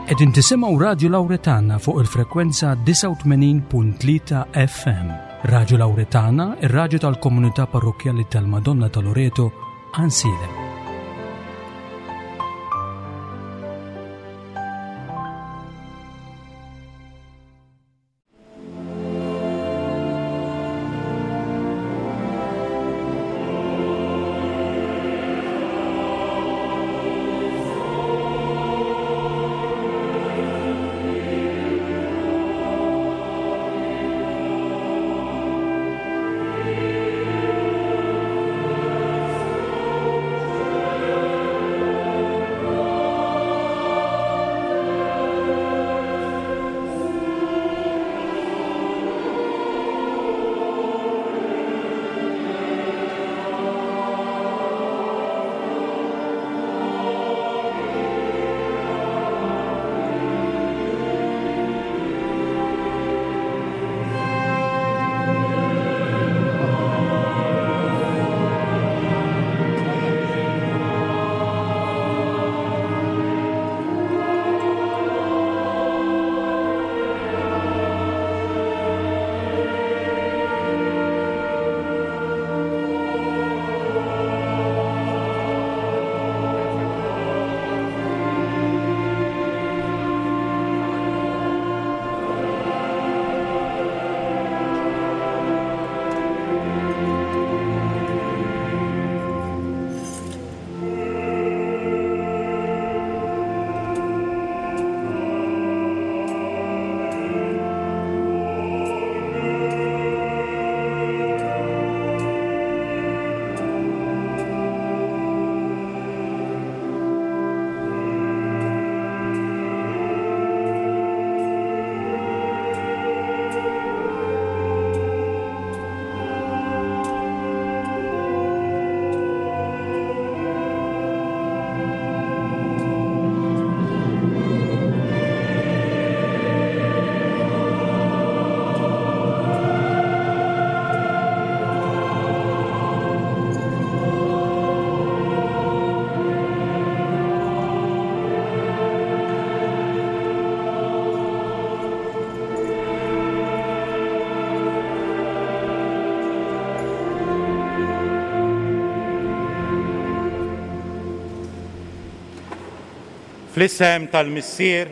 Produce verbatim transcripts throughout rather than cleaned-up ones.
Qegħdin tisimgħu Radju Lawretana fuq il-frekwenza disgħa u tmenin punt tlieta F M. Radju Lawretana, ir-radju tal-komunità parrokkjali tal-Madonna ta' Loreto, Għajnsielem. Fl-isem tal-Missier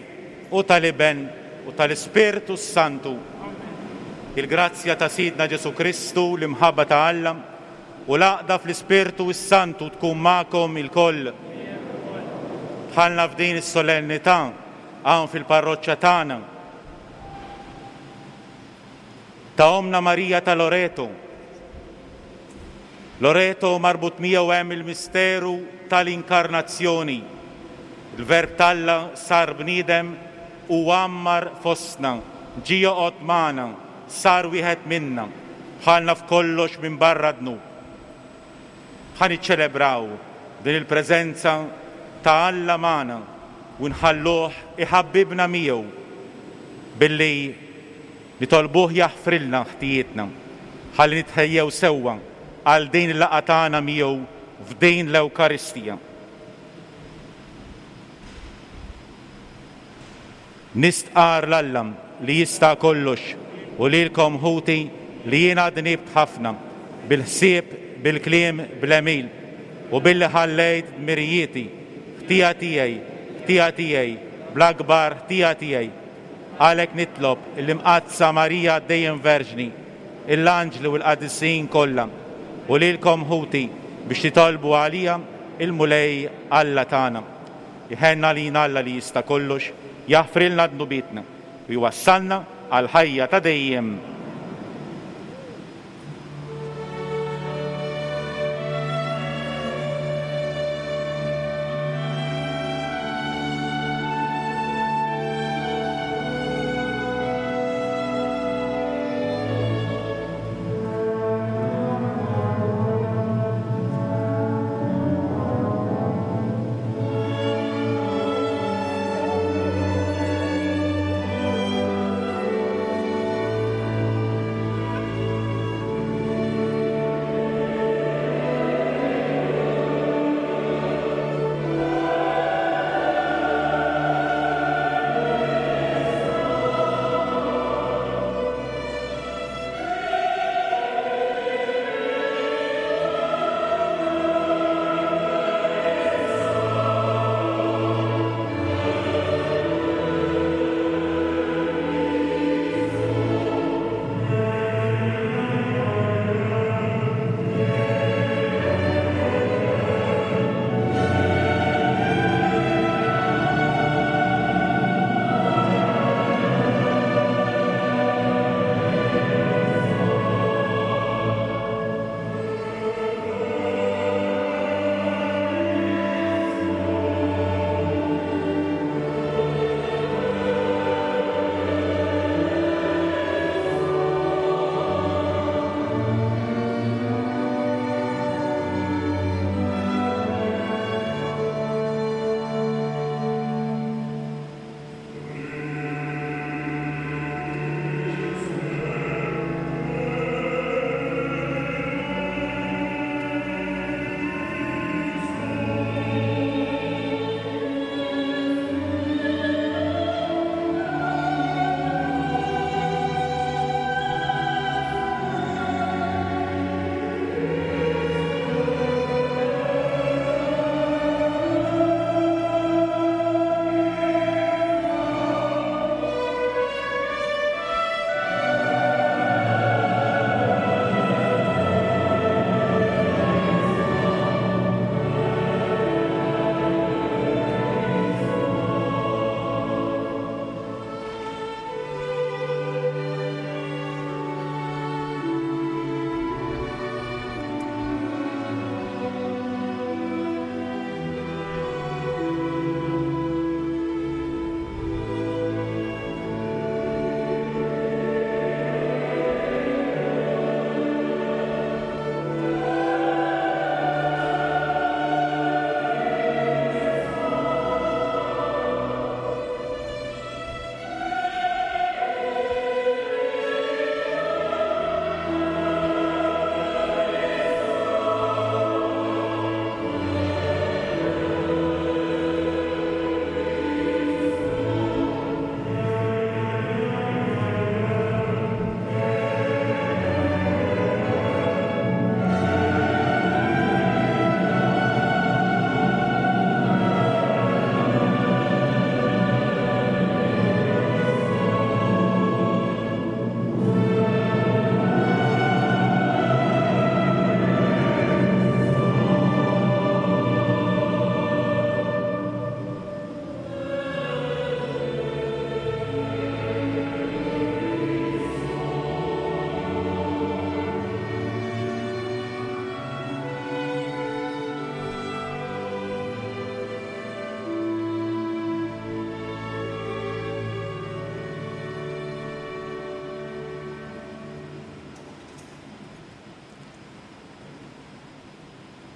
u tal-Iben u tal-Ispirtu Santu. Il-grazzja ta' Sidna Ġesu Kristu, l-imħabba ta' Alla u l-għaqda fl-Ispirtu Santu tkun magħkom ilkoll. Dħalna f'din is-solennità hawn fil-parroċċa tagħna ta' Omna Marija ta' Loreto. Loreto marbut miegħu hemm il-misteru tal-inkarnazzjoni. Il-Verb t'Alla sar bniedem u għammar fostna, ġie joqgħod magħna, sar wieħed minna, bħalna f'kollox minn barra dnub. Ħa niċċelebraw din il-preżenza ta' Alla magħna u nħalluh iħabbibna miegħu billi nitolbuh jaħfrilna ħtijietna, ħalli nitħejjew sewwa għal din il-laqgħa tagħna miegħu f'din l-Ewkaristija. Nistqar l-Alla li jista' kollox u lilkom ħuti li jiena dnibt ħafna bil-ħsieb, bil-kliem, bl-għemil u billi ħallejt dmirijieti, ħtija tiegħi, ħtija tiegħi, bl-akbar ħtija tiegħi. Għalhekk nitlob l-Imqaddsa Marija dejjem Verġni, l-anġli u l-qadisin kollha u lilkom ħuti biex titolbu għalija il-Mulej Alla tagħna. Iħenna lina Alla li jista' kollox, jaħfrilna dnubietna u jwassalna għal ħajja ta' dejjem.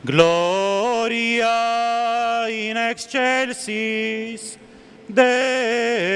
Gloria in excelsis Deo.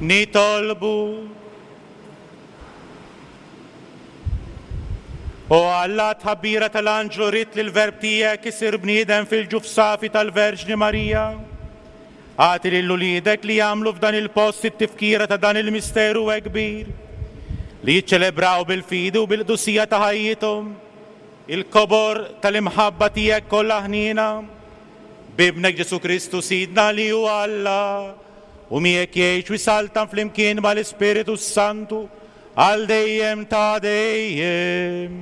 Nitolbu. O Alla, tħabbira tal-anġlu ridt li l-verb tiegħek isir bniedem fil-ġuf safi tal-Verġni Marija. Agħti lil uliedek li jagħmlu f'dan il-post it-tifkira ta' dan il-misteru hekk kbir, li jiċċelebraw bil-fidi u bil-qdusija ta' ħajjithom il-kobor tal-imħabba tiegħek kollha ħniena. B'Ibnek Ġesù Kristu Sidna li hu Alla, u miegħek jgħix u jsaltan flimkien mal-Ispiritu Santu għal dejjem ta' dejjem.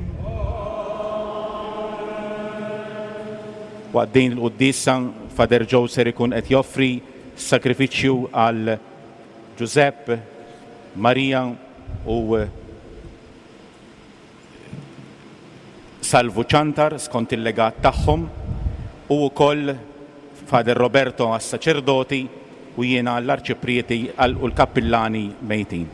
Waqt din il-quddiesa Father Joe ser ikun qed joffri sakrifiċċju għal Giuseppe, Maria u Salvu Ċantar skont il-legat tagħhom, u wkoll Father Roberto għas-saċerdoti u jiena għall-arċiprieti u l-kappillani mejtin.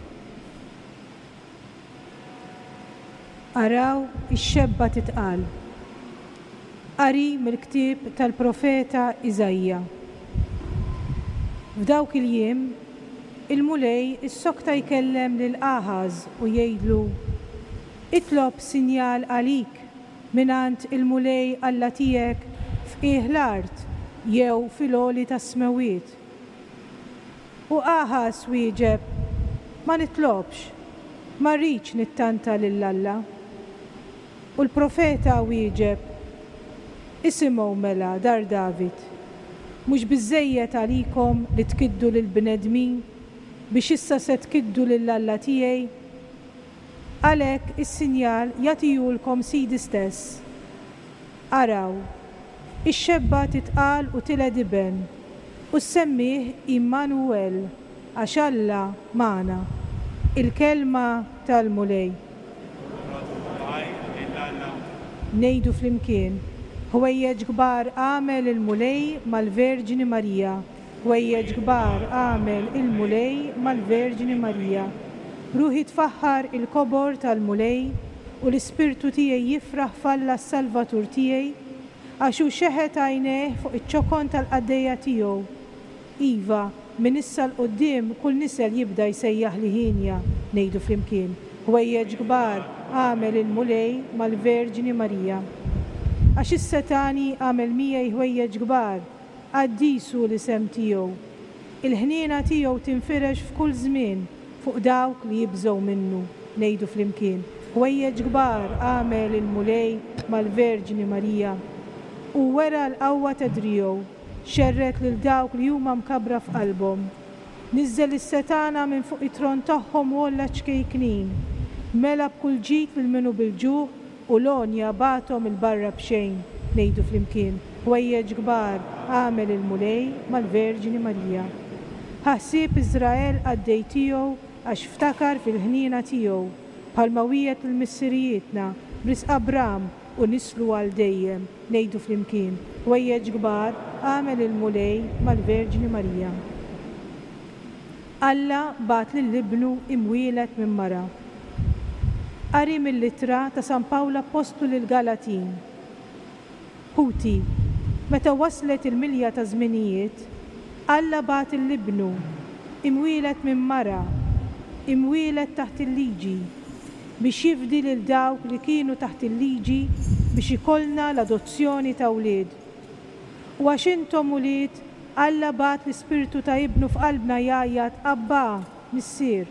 Araw ix-xebba titqal. Qari mill-ktieb tal-profeta Iżaija. F'dawk il-jiem, il-Mulej issokta jkellem lil Aħaż u jgħidlu: Itlob sinjal għalik mingħand il-Mulej Alla tiegħek f'qiegħ l-art jew fil-għoli tas-smewwiet. U Aħaż wieġeb: Ma nitlobx, ma rridx nittanta lil Alla. U l-profeta wieġeb: Isimgħu mela, dar David, mhux biżżejjed għalikom li tkiddu lill-bnedmin biex issa se tkiddu lil Alla tiegħi? Għalhekk is-sinjal jagħtihulkom Sidi stess. Araw, ix-xebba titqal u tiled iben, u ssemmih Immanuel, għax Alla magħna. Il-kelma tal-Mulej. Ngħidu flimkien: Ħwejjeġ kbar għamel il-Mulej mal-Verġni Marija. Ħwejjeġ kbar għamel il-Mulej mal-Verġni Marija. Ruħi tfaħħar il-kobor tal-Mulej u l-ispirtu tiegħi jifraħ f'Alla s-Salvatur tiegħi, għax hu xeħet għajnejh fuq iċ-ċokon tal-qaddejja tiegħu. Iva, minn issa 'l quddiem kull nisel jibda jsejjaħ li ħinja. Ngħidu flimkien: Ħwejjeġ kbar għamel il-Mulej mal-Verġni Marija. Għax is-setani għamel miegħi ħwejjeġ kbar, qaddis hu l-isem tiegħu. Il-ħniena tiegħu tinfirex f'kull żmien fuq dawk li jibżgħu minnu. Ngħidu flimkien: Ħwejjeġ kbar għamel il-Mulej mal-Verġni Marija. U wera l-qawwa ta' driegħu, xerred lil dawk li huma mkabbra f'qalbhom. Niżżel is-setana minn fuq it-tron tagħhom u għolla ċkejknin. Mela b'kull ġid lil minnu bil-ġuħ u l-għonja bagħathom il-barra b'xejn. Ngħidu flimkien: Ħwejjeġ kbar għamel il-Mulej mal-Verġni Marija. Ħa ħsieb Iżrael qaddej tiegħu għax ftakar fil-ħniena tiegħu, bħalma wiegħed lil missirijietna b'risq Abram u nislu għal dejjem. Ngħidu flimkien: Ħwejjeġ kbar għamel il-Mulej mal-Verġni Marija. Alla bagħat lil ibnu imwieled minn mara. Qari mill-ittra ta' San Pawl Appostlu lil Galatin. Ħuti, meta waslet il-milja ta' żminijiet, Alla bagħat lil ibnu imwieled minn mara, imwieled taħt il-liġi, biex jifdi lil dawk li kienu taħt il-liġi biex ikollna l-adozzjoni ta' wlied. U għax intom ulied, Alla bagħat l-ispirtu ta' ibnu f'qalbna jgħajjat: Abba, Missier.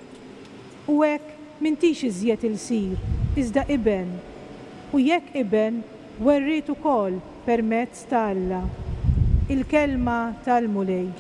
U hekk m'intix iżjed ilsir, iżda iben. U jekk iben, werriet ukoll permezz ta' Alla. Il-kelma tal-Mulej.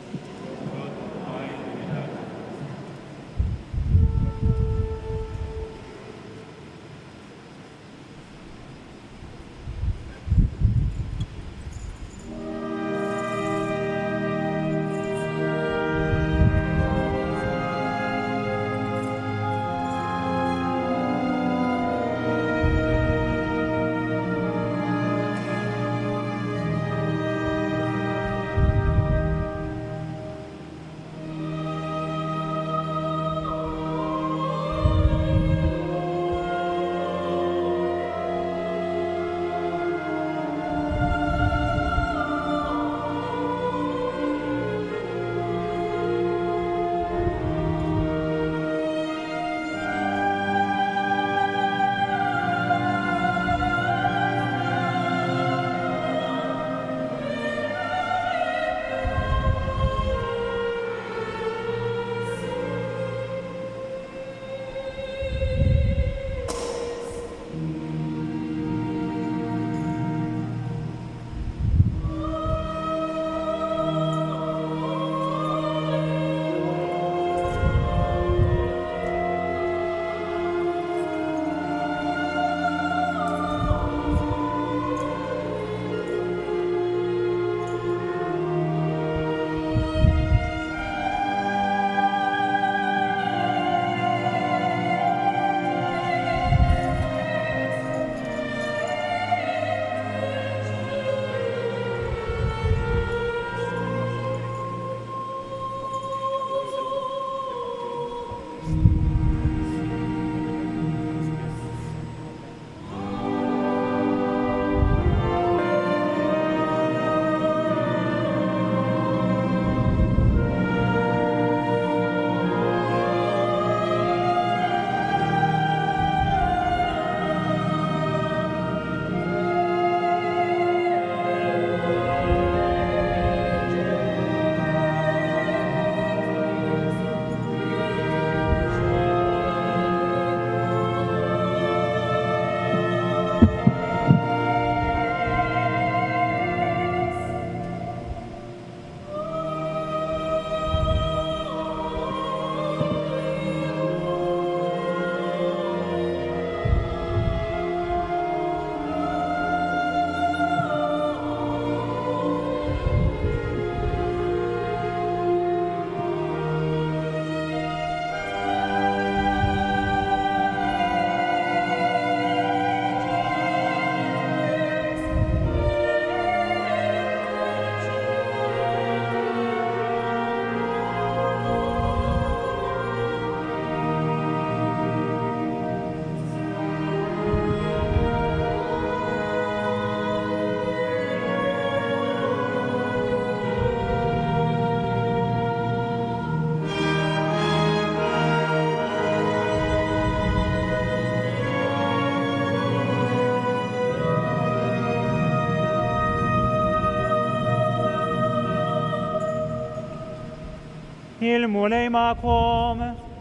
Il-Mulej magħkom.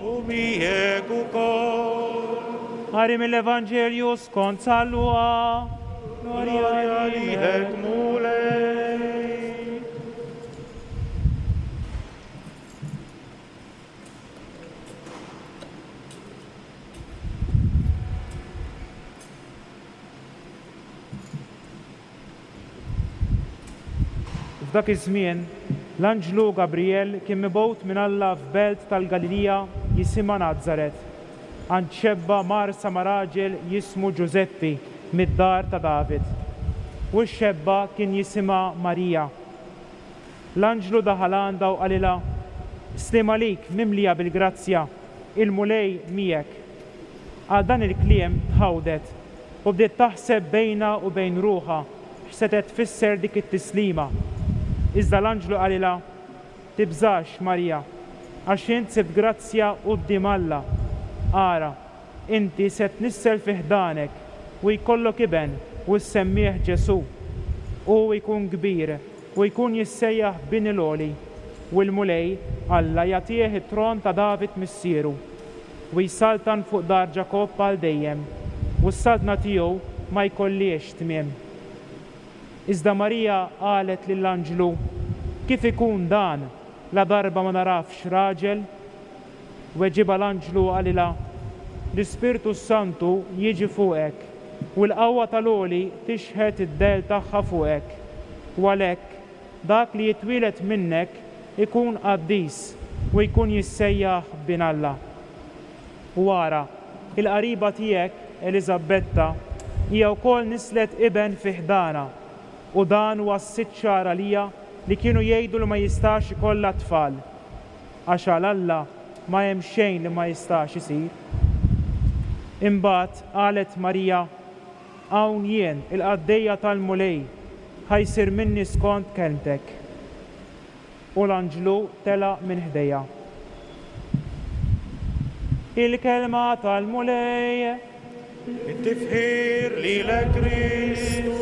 U miegħek ukoll. Qari mill-Evanġelju skont San Luqa. Glorja lilek, Mulej. F'dak iż-żmien, l-anġlu Gabriel kien mibgħut minn Alla f'belt tal-Galilija jisimha Nazaret, għand xebba marsa ma' raġel jismu Ġużeppi mid-dar ta' David. U x-xebba kien jisimha Marija. L-anġlu daħal għandha u qalilha: Sliem għalik mimlija bil-grazzja, il-Mulej miegħek. Għal dan il-kliem tħawdet u bdiet taħseb bejnha u bejn ruħha x'setgħet tfisser dik it-tislima. Iżda l-anġlu qalilha: Tibżax, Marija, għax int sibt grazzja quddiem Alla. Ara, inti se tnissel fi ħdanek u jkollok iben u ssemmih Ġesù. Hu jkun kbir u jkun jissejjaħ Bin il-Għoli, u l-Mulej Alla jagħtih it-tron ta' David missieru, u jsaltan fuq dar Ġakobb għal dejjem, u s-saltna tiegħu ma jkollhiex tmiem. Iżda Marija qalet lill-anġlu: Kif ikun dan, la darba ma narafx raġel? Weġibha l-anġlu qalilha: L-Ispirtu Santu jiġi fuqek, u l-qawwa tal-Għoli tixħet id-dell tagħha fuqek. U għalhekk dak li jitwieled minnek ikun qaddis u jkun jissejjaħ Bin Alla. U ara, il-qariba tiegħek Eliżabetta hija wkoll nislet iben fi ħdana, u dan huwa s-sitt xahar għalija li kienu jgħidu li ma jistax ikollha tfal, għax għal Alla ma hemm xejn li ma jistax isir. Imbagħad qalet Marija: Hawn jien, il-qaddejja tal-Mulej, ħa jsir minni skont kelmtek. U l-anġlu telaq minn ħdejha. Il-kelma tal-Mulej. It-tifħir lilek Kristu.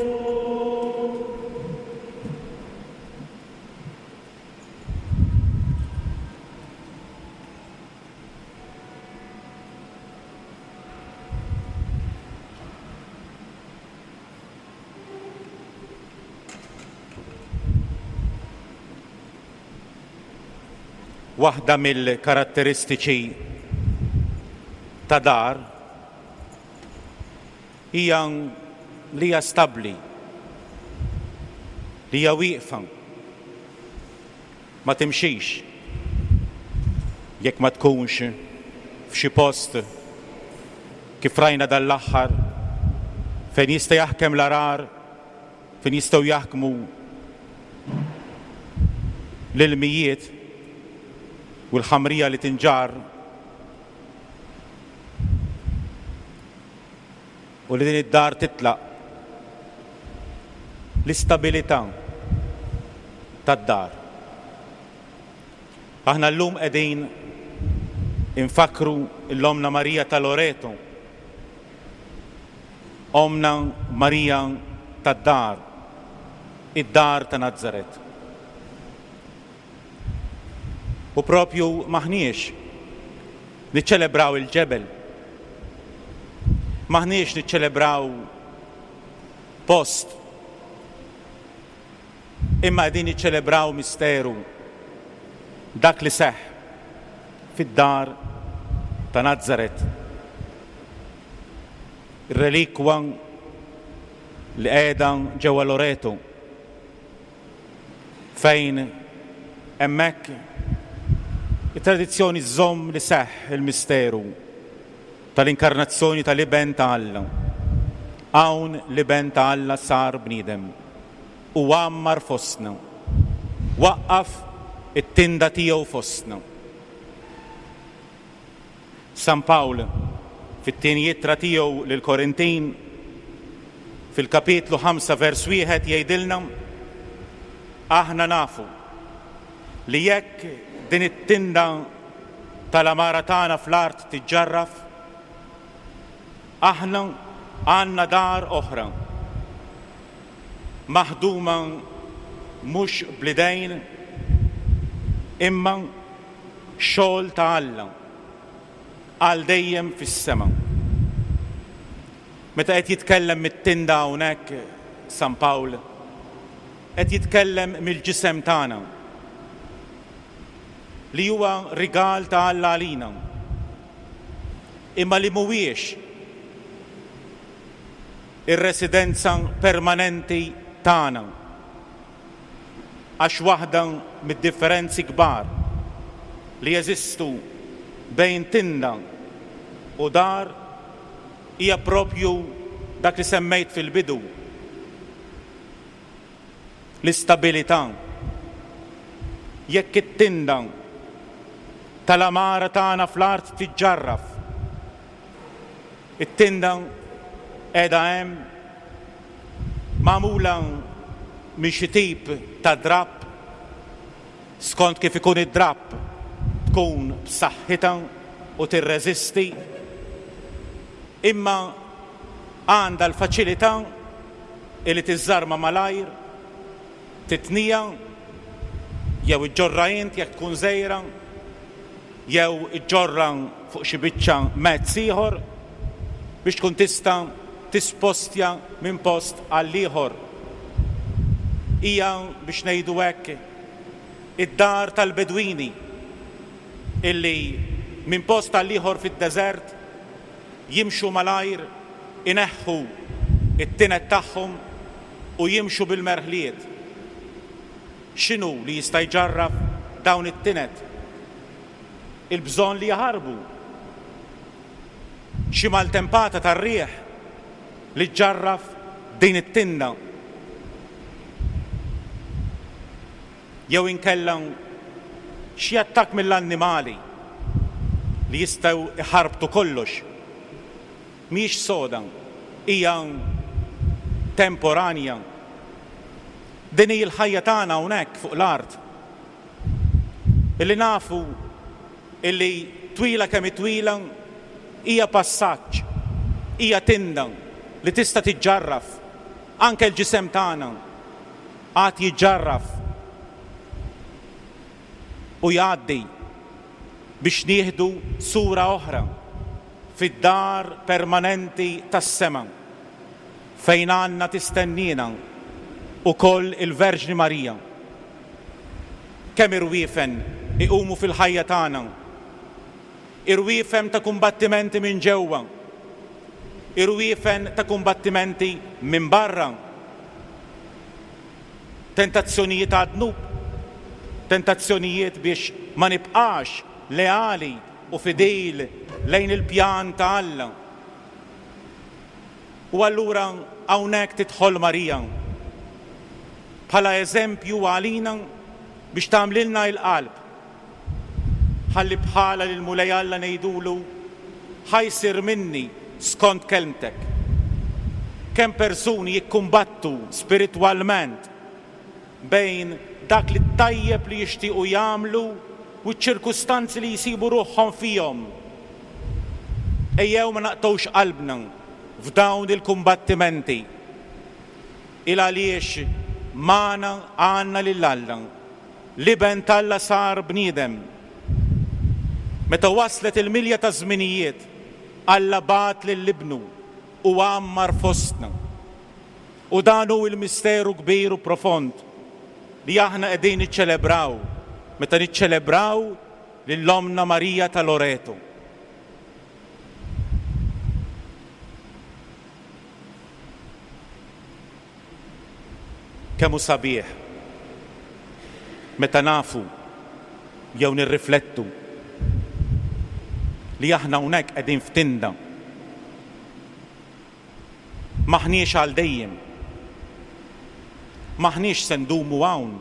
Waħda mill-karatteristiċi ta' dar hija li hija stabbli, li hija wieqfa, ma timxix jekk ma tkunx f'xi post kif rajna dan l-aħħar fejn jista' jaħkem l-arar, fejn jistgħu jaħkmu l-ilmijiet u l-ħamrija li tinġarr, u li din id-dar titlaq. L-istabilità tad-dar. Aħna llum qegħdin infakru l-Omna Marija ta' Loreto, Omna Marija tad-dar, id-dar ta' Nazaret. U propju maħniex niċċelebraw il-ġebel, maħniex niċċelebraw post, imma qegħdin niċċelebraw misteru, dak li seħħ fid-dar ta' Nazaret. Ir-relikwa li qiegħda ġewwa Loreto, fejn hemmhekk it-tradizzjoni żżomm li seħħ il-misteru tal-inkarnazzjoni tal-Iben ta' Alla. Hawn l-Iben ta' Alla sar bniedem u għammar fostna, waqqaf it-tinda tiegħu fostna. San Pawl fit-tieni ittra tiegħu lill-Korintin fil-kapitlu ħamsa vers wieħed jgħidilna: aħna nafu li jekk din it-tinda tal-amara tagħna fl-art tiġġarraf, aħna għandna dar oħra, maħduma mhux bl-idejn imma xogħol ta' Alla għal dejjem fis-sema. Meta qed jitkellem mit-tinda hawnhekk San Pawl, qed jitkellem mill-ġisem tagħna li huwa rigal ta' Alla għalina, imma li mhuwiex ir-residenza permanenti tagħna, għax waħda mid-differenzi kbar li jeżistu bejn tinda u dar hija propju dak li semmejt fil-bidu, l-istabilità. Jekk it-tinda tal-amara tagħna fl-art tiġġarraf, it-tinda qiegħda hemm magħmula minn xi tip ta' drapp, skont kif ikun id-drapp tkun b'saħħitha u tirreżisti, imma għandha l-faċilità li tiżżarma malajr, titnija, jew iġġorra int jekk tkun żgħira, jew iġġorra fuq xi biċċa mezz ieħor biex tkun tista' tispostja minn post għal ieħor. Hija, biex ngħidu hekk, id-dar tal-Bedwini illi minn post għal ieħor fid-deżert jimxu malajr, ineħħu it-tinet tagħhom u jimxu bil-merħliet. X'inhu li jista' jġarraf dawn it-tinet? Il-bżonn li jaħarbu. Xi maltempata tar-riħ li ġġarraf din it-tinda. Jew inkella xi attakk mill-annimali li jistgħu iħarbtu kollox. Mhijiex soda, hija temporanja. Din hi l-ħajja tagħna hawnhekk fuq l-art. Illi nafu illi twila kemm twila hija passaġġ, hija tinda li tista' tiġġarraf. Anke l-ġisem tagħna għad jiġġarraf u jgħaddi biex nieħdu sura oħra fid-dar permanenti tas-sema fejn għandna tistennina ukoll il-Verġni Marija. Kemm irwiefen iqumu fil-ħajja tagħna, irwiefen ta' kumbattimenti minn ġewwa, irwiefen ta' kumbattimenti minn barra, tentazzjonijiet għad-dnub, tentazzjonijiet biex ma nibqax leali u fidil lejn il-pjan ta' Alla. U allura hawnhekk tidħol Marija bħala eżempju għalina biex tagħmlilna l-qalb. Ħalli bħala lil Mulej Alla ngħidulu ħa jsir minni skont kelmtek. Kemm persuni jikkumbattu spiritwalment bejn dak li tajjeb li jixtiequ jagħmlu u ċ-ċirkustanzi li jsibu ruħhom fihom. Ejjew ma naqtgħux qalbna f'dawn il-kumbattimenti. Il għaliex magħna għandna lil Alla. L-Iben t'Alla sar bniedem. Meta waslet il-milja ta' żminijiet, Alla bagħat lil Ibnu u għammar fostna. U dan hu l-misteru kbir u profond li aħna qegħdin niċċelebraw meta niċċelebraw lil Ommna Marija ta' Loreto. Kemm hu sabiħ meta nafu jew nirriflettu li aħna hawnhekk qegħdin f'tinda. Maħniex għal dejjem. Maħniex se ndumu hawn.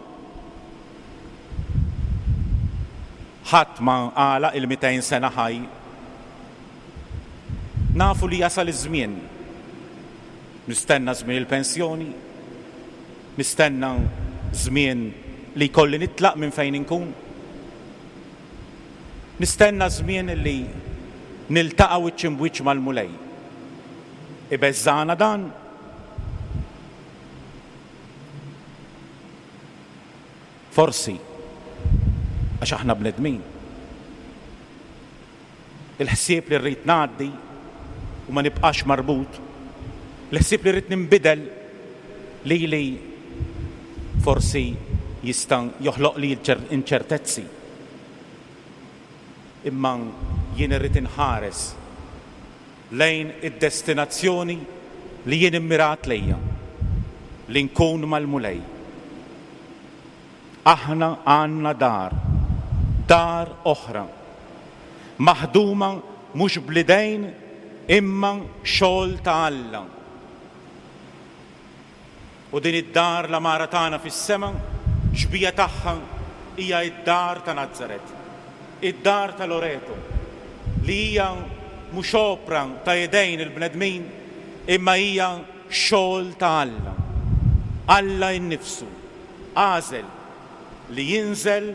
Ħadd ma għalaq il-mitejn sena ħaj. Nafu li jasal iż-żmien. Nistenna żmien il-pensjoni, nistenna żmien li jkolli nitlaq minn fejn inkun. Nistenna żmien li niltaqa' wiċċ imbwiċċ mal-Mulej. Ibeżżana dan? Forsi, għax aħna bnedmin. Il-ħsieb li rrid ngħaddi u ma nibqax marbut, il-ħsieb li rrid ninbidel lili forsi jista' joħloq li inċertezzi. Imma jien irrid inħares lejn id-destinazzjoni li jien immirat lejja, li nkun mal-Mulej. Aħna għandna dar, dar oħra, maħduma mhux bl-idejn imma xogħol ta' Alla. U din id-dar l-għamara tagħna fis-sema, xbieha tagħha hija d-dar ta' Nazaret, id-dar ta' Loreto, li hija mhux opra ta' idejn il-bnedmin, imma hija xogħol ta' Alla. Alla innifsu għażel li jinżel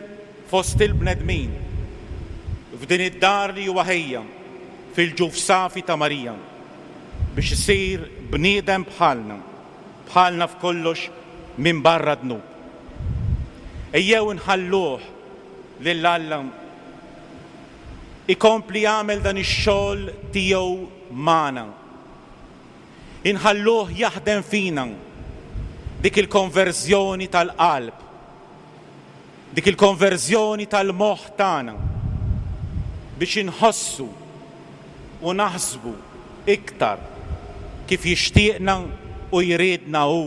fost il-bnedmin f'din id-dar li huwa ħejja fil-ġuf safi ta' Marija biex isir bniedem bħalna, bħalna f'kollox minn barra dnub. Ejjew nħalluh lil Alla ikompli jagħmel dan ix-xogħol tiegħu magħna. Inħalluh jaħdem fina dik il-konverżjoni tal-qalb, dik il-konverżjoni tal-moħħ tagħna biex inħossu u naħsbu iktar kif jixtieqna u jridna hu.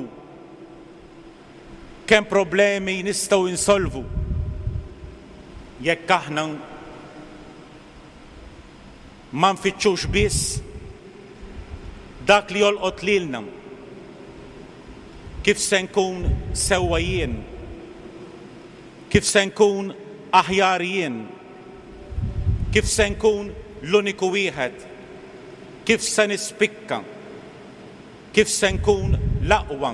Kemm problemi nistgħu insolvu jekk aħna ma nfittxux biss dak li jolqot lilna, kif se nkun sewwa jien, kif se nkun aħjar jien, kif se nkun l-uniku wieħed, kif se nispikka, kif se nkun l-aqwa,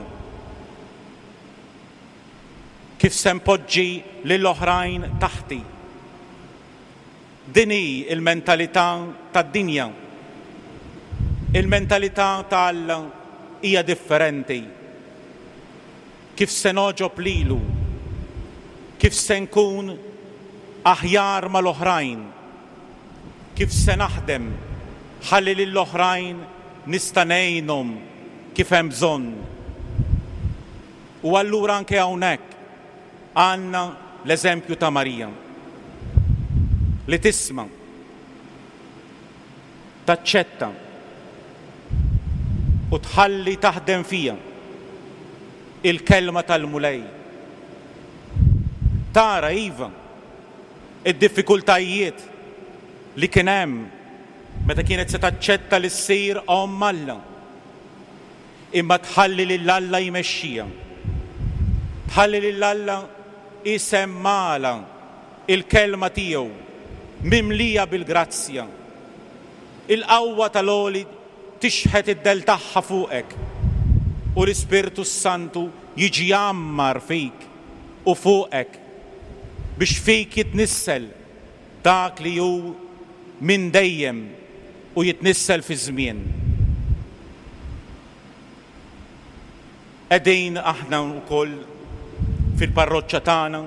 kif se npoġġi lill-oħrajn taħti. Din hi l-mentalità tad-dinja. Il-mentalità ta' Alla hija differenti. Kif se nogħġob lilu, kif se nkun aħjar mal-oħrajn, kif se naħdem ħalli lill-oħrajn nista' ngħinhom kif hemm bżonn. U allura anke hawnhekk għandna l-eżempju ta' Marija li tisma', taċċetta u tħalli taħdem fija il-kelma tal-Mulej. Tara iva id-diffikultajiet li kien hemm meta kienet se taċċetta li ssir omm Alla, imma tħalli lil Alla jmexxija, tħalli lil Alla isemmala il-kelma tiegħu mimlija bil-grazzja. Il-qawwa tal-għoli tixħet id-del tagħha fuqek u l-Ispirtu Santu jiġi jgħammar fik u fuqek biex fik jitnissel dak li hu minn dejjem u jitnissel fi żmien. Qegħdin aħna wkoll fil-parroċċa tagħna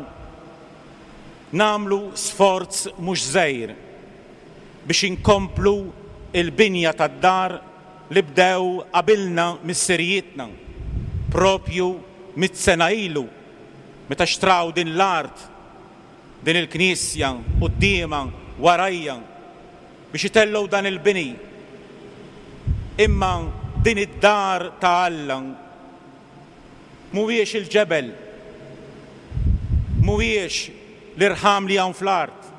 nagħmlu sforz mhux żgħir biex inkomplu il-binja tad-dar li bdew qabilna missirijietna propju mitt sena ilu meta xtraw din l-art, din il-knisja quddiemha warajja biex itellgħu dan il-bini. Imma din id-dar ta' Alla mhuwiex il-ġebel, mhuwiex l-irħam li hawn fl-art,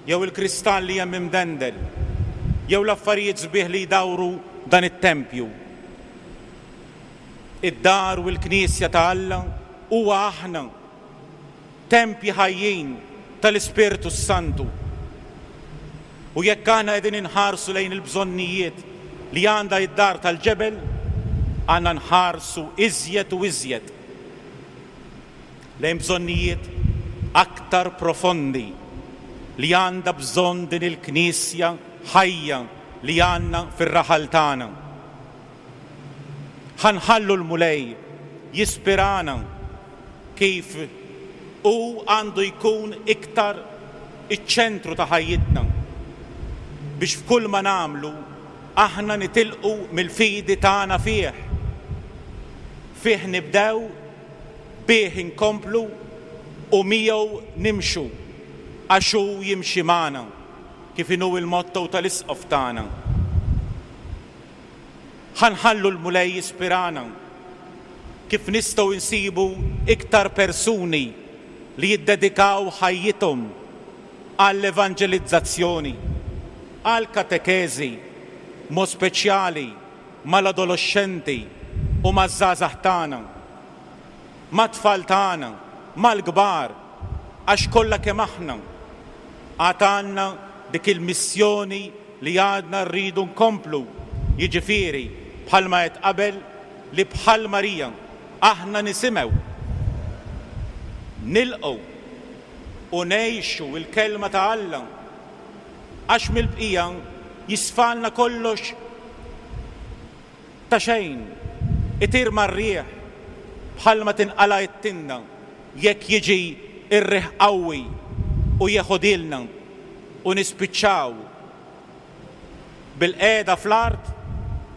jew il-kristall li hemm imdendel, jew l-affarijiet sbieħ li jdawru dan it-tempju. Id-dar u l-knisja ta' Alla huwa aħna, tempji ħajjin tal-Ispirtu Santu. U jekk aħna qegħdin inħarsu lejn il-bżonnijiet li għandha id-dar tal-ġebel, għandna nħarsu iżjed u iżjed lejn bżonnijiet aktar profondi li għandha bżonn din il-knisja ħajja li għandna fir-raħal tagħna. Ħa nħallu l-Mulej jispirana kif hu għandu jkun iktar iċ-ċentru ta' ħajjitna. biex f'kull ma nagħmlu aħna nitilqu mill-fidi tagħna fih. Fih nibdew, bih inkomplu u miegħu nimxu għax hu jimxi magħna, kif inhu il-motto tal-isqof tagħna. Ħa nħallu l-Mulej jispirana kif nistgħu nsibu iktar persuni li jiddedikaw ħajjithom għall-evanġelizzazzjoni, għall-katekeżi, mod speċjali mal-adolexxenti u maż-żgħażagħ tagħna, mat-tfal tagħna, mal-kbar, għax kollha kemm aħna għad għandna dik il-missjoni li għadna rridu nkomplu, jiġifieri bħalma qed qabel li bħal Marija aħna nisimgħu, nilqgħu u ngħixu l-kelma ta' Alla, għax mill-bqija jisfalna kollox ta' xejn, itir mar-riħ bħalma tinqala' t-tinda jekk jiġi r-riħ qawwi u jeħodilna u nispiċċaw bil-qiegħda fl-art,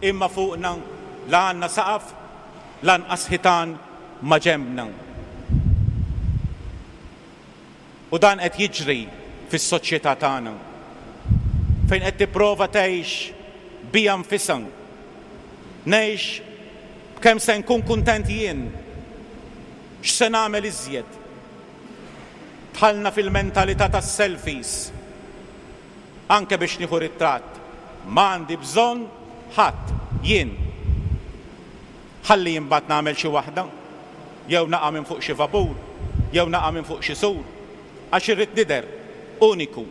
imma fuqna la għandna saqaf lanqas ħitan ma' ġenbna. U dan qed jiġri fis-soċjetà tagħna, fejn qed tipprova tgħix bija nfisha. Ngħix b'kemm se nkun kuntent jien, x'se nagħmel iżjed. Dħalna fil-mentalità tas-selfies, anke biex nieħu ritratt. Ma għandi bżonn ħadd, jien. Ħalli imbagħad nagħmel xi waħda, jew naqa' minn fuq xi vapur, jew naqa' minn fuq xi sur, għax irrid nidher uniku.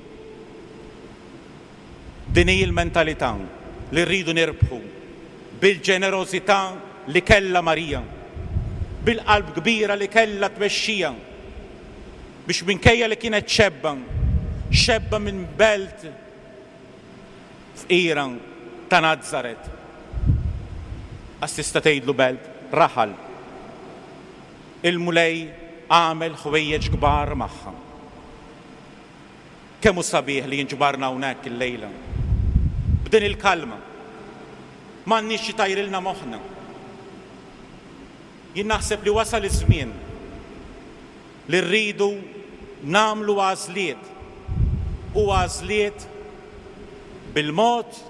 Din hi l-mentalità li rridu nirbħu bil-ġenerożità li kellha Marija, bil-qalb kbira li kellha tmexxija, biex minkejja li kienet xebba, xebba minn belt fqira ta' Nazaret. Għax tista' tgħidlu belt, raħal. Il-Mulej għamel ħwejjeġ kbar magħha. Kemm hu sabiħ li jinġbarna hawnhekk illejla. B'din il-kalma. M'għandniex xi tajrilna moħħna. Jien naħseb li wasal iż-żmien li rridu nagħmlu għażliet, u għażliet bil-mod,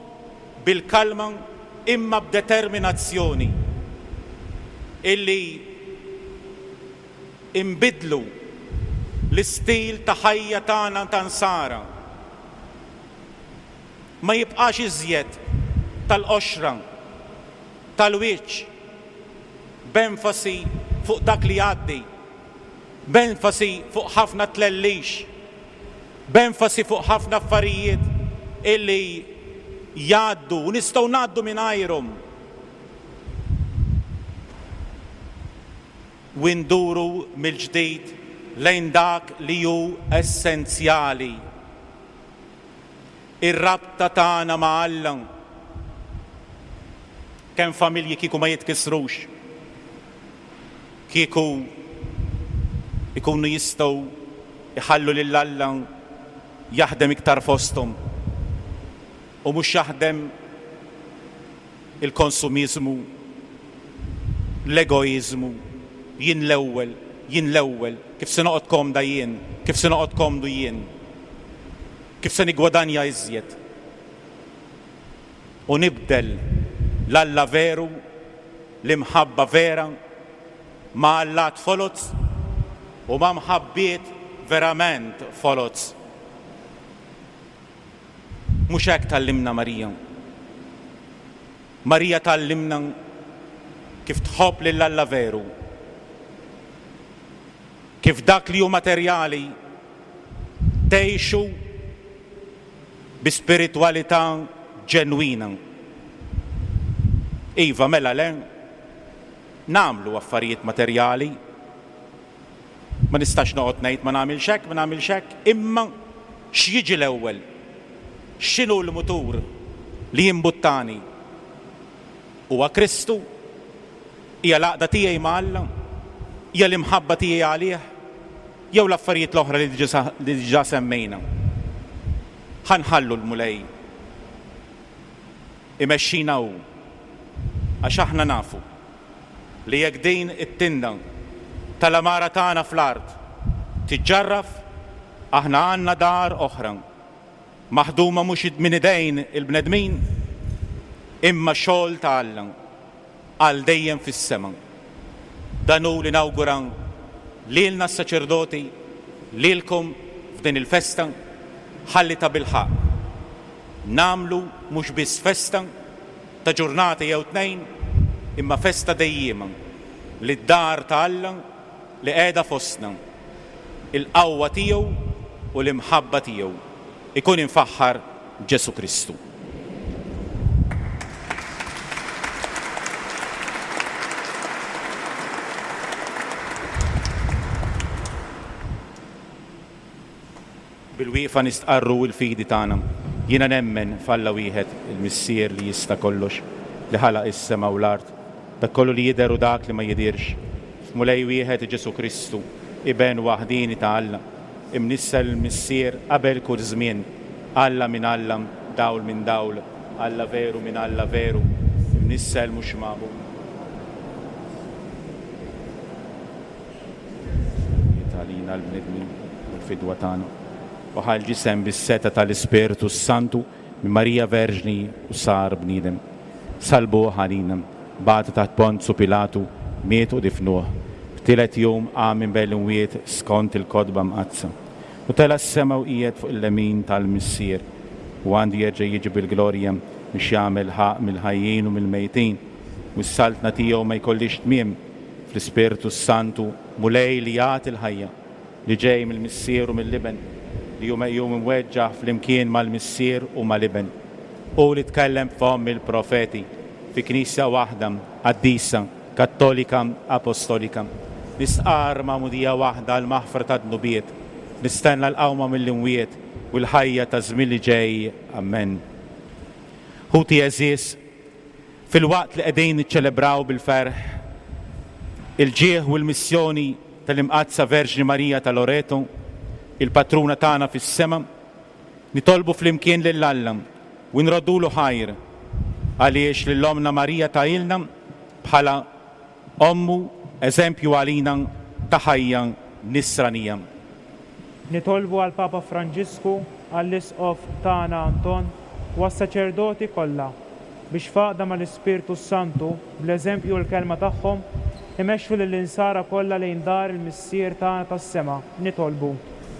bil-kalma, imma b'determinazzjoni illi imbidlu l-istil ta' ħajja tagħna ta' nsara. Ma jibqax iżjed tal-qoxra, tal-wiċċ, b'enfasi fuq dak li jgħaddi, b'enfasi fuq ħafna tlellix, b'enfasi fuq ħafna affarijiet illi jgħaddu u nistgħu ngħaddu mingħajrhom. U nduru mill-ġdid lejn dak li hu essenzjali, ir-rabta tagħna ma' Alla. Kemm familji kieku ma jitkissrux, kieku ikunu jistgħu iħallu lil Alla jaħdem iktar fosthom u mhux jaħdem il-konsumiżmu, l-egoiżmu, jien l-ewwel, jien l-ewwel, kif se noqgħod komda jien, kif se noqgħod komdu jien, kif se nigwadanja iżjed. U nibdel l-Alla veru, l-imħabba vera, ma' allat foloz u ma' mħabbiet verament foloz. Mhux hekk tgħallimna Marija. Marija tgħallimna kif tħobb lil Alla veru, kif dak li hu materjali tgħixu bi spiritwalità ġenwina. Iva, mela le, nagħmlu affarijiet materjali, ma nistax noqgħod ngħid ma nagħmilx hekk, ma nagħmilx hekk, imma x'jiġi l-ewwel? X'inhu l-mutur li jimbuttani? Huwa Kristu? Hija l-għaqda tiegħi ma' Alla? Hija l-imħabba tiegħi għalih? Jew l-affarijiet l-oħra li diġà semmejna? Ħa nħallu l-Mulej Imexxina hu, għax aħna nafu li jekk din it-tinda tal-għamara tagħna fl-art tiġġarraf, aħna għandna dar oħra, maħduma mhux minn idejn il-bnedmin, imma xogħol ta' Alla għal dejjem fis-sema. Dan hu li nawgura lilna s-saċerdoti, lilkom f'din il-festa, ħalli ta' bilħaqq nagħmlu mhux biss festa ta' ġurnata jew tnejn, imma festa dejjiema li d-dar ta' Alla li qiegħda fostna, il-qawwa tiegħu u l-imħabba tiegħu. Ikun infaħħar Ġesù Kristu. Bil-wieqfa nistqarru l-fidi tagħna. Jiena nemmen f'Alla wieħed, il-Missier li jista' kollox, li ħalaq is-sema u l-art, dak kollu li jidher u dak li ma jidhirx. F'Mulej wieħed Ġesù Kristu, iben waħdini ta' Alla, imnissel il-Missier qabel kull żmien, Alla minn Alla, dawl minn dawl, Alla veru minn Alla veru, imnissel mhux magħmul. Għalina l-bnedmin u l-fidwa tagħna. U ħa l-ġisem bis-seta tal-Ispirtu s-Santu minn Marija Verġni u sar bniedem. Salbuh għalina, bagħtu taħt Ponzu Pilatu, miet u difnuh. F'tielet jum qam minn bejn l-imwiet skont il-kotba mqaddsa. U tela' s-sema u qiegħed fuq il-lemin tal-Missier, u għandu jerġa' jiġi bil-glorja biex jagħmel ħaqq mill-ħajjin u mill-mejtin, u s-saltna tiegħu ma jkollix tmiem. Fl-Ispirtu s-Santu, Mulej li jagħti l-ħajja, li ġej mill-Missier u mill-Iben, li hu meqjum imweġġaħ flimkien mal-Missier u mal-Iben, u li tkellem f'fomm il-profeti fi Knisja waħda, qaddisa, Kattolika, Apostolika. Nistqarr magħmudija waħda għall-maħfra tad-dnubiet, nistenna l-qawma mill-imwiet u l-ħajja ta' żmien li ġej. Amen. Ħuti għeżież, fil-waqt li qegħdin niċċelebraw bil-ferħ il-ġieħ u l-missjoni tal-Imqaddsa Verġni Marija ta' Loreto, il-patruna tagħna fis-sema, nitolbu flimkien lil Alla u nroddulu ħajr għaliex lil Ommna Marija tagħilna bħala ommu eżempju għalina ta' ħajja nisranija. Nitolbu għal Papa Franġisku, għall-Isqof tagħna Anton u għas-saċerdoti kollha biex f'għaqda mal-Ispirtu Santu bl-eżempju u l-kelma tagħhom imexxu lill-insara kollha lejn dar il-Missier tagħna tas-sema. Nitolbu.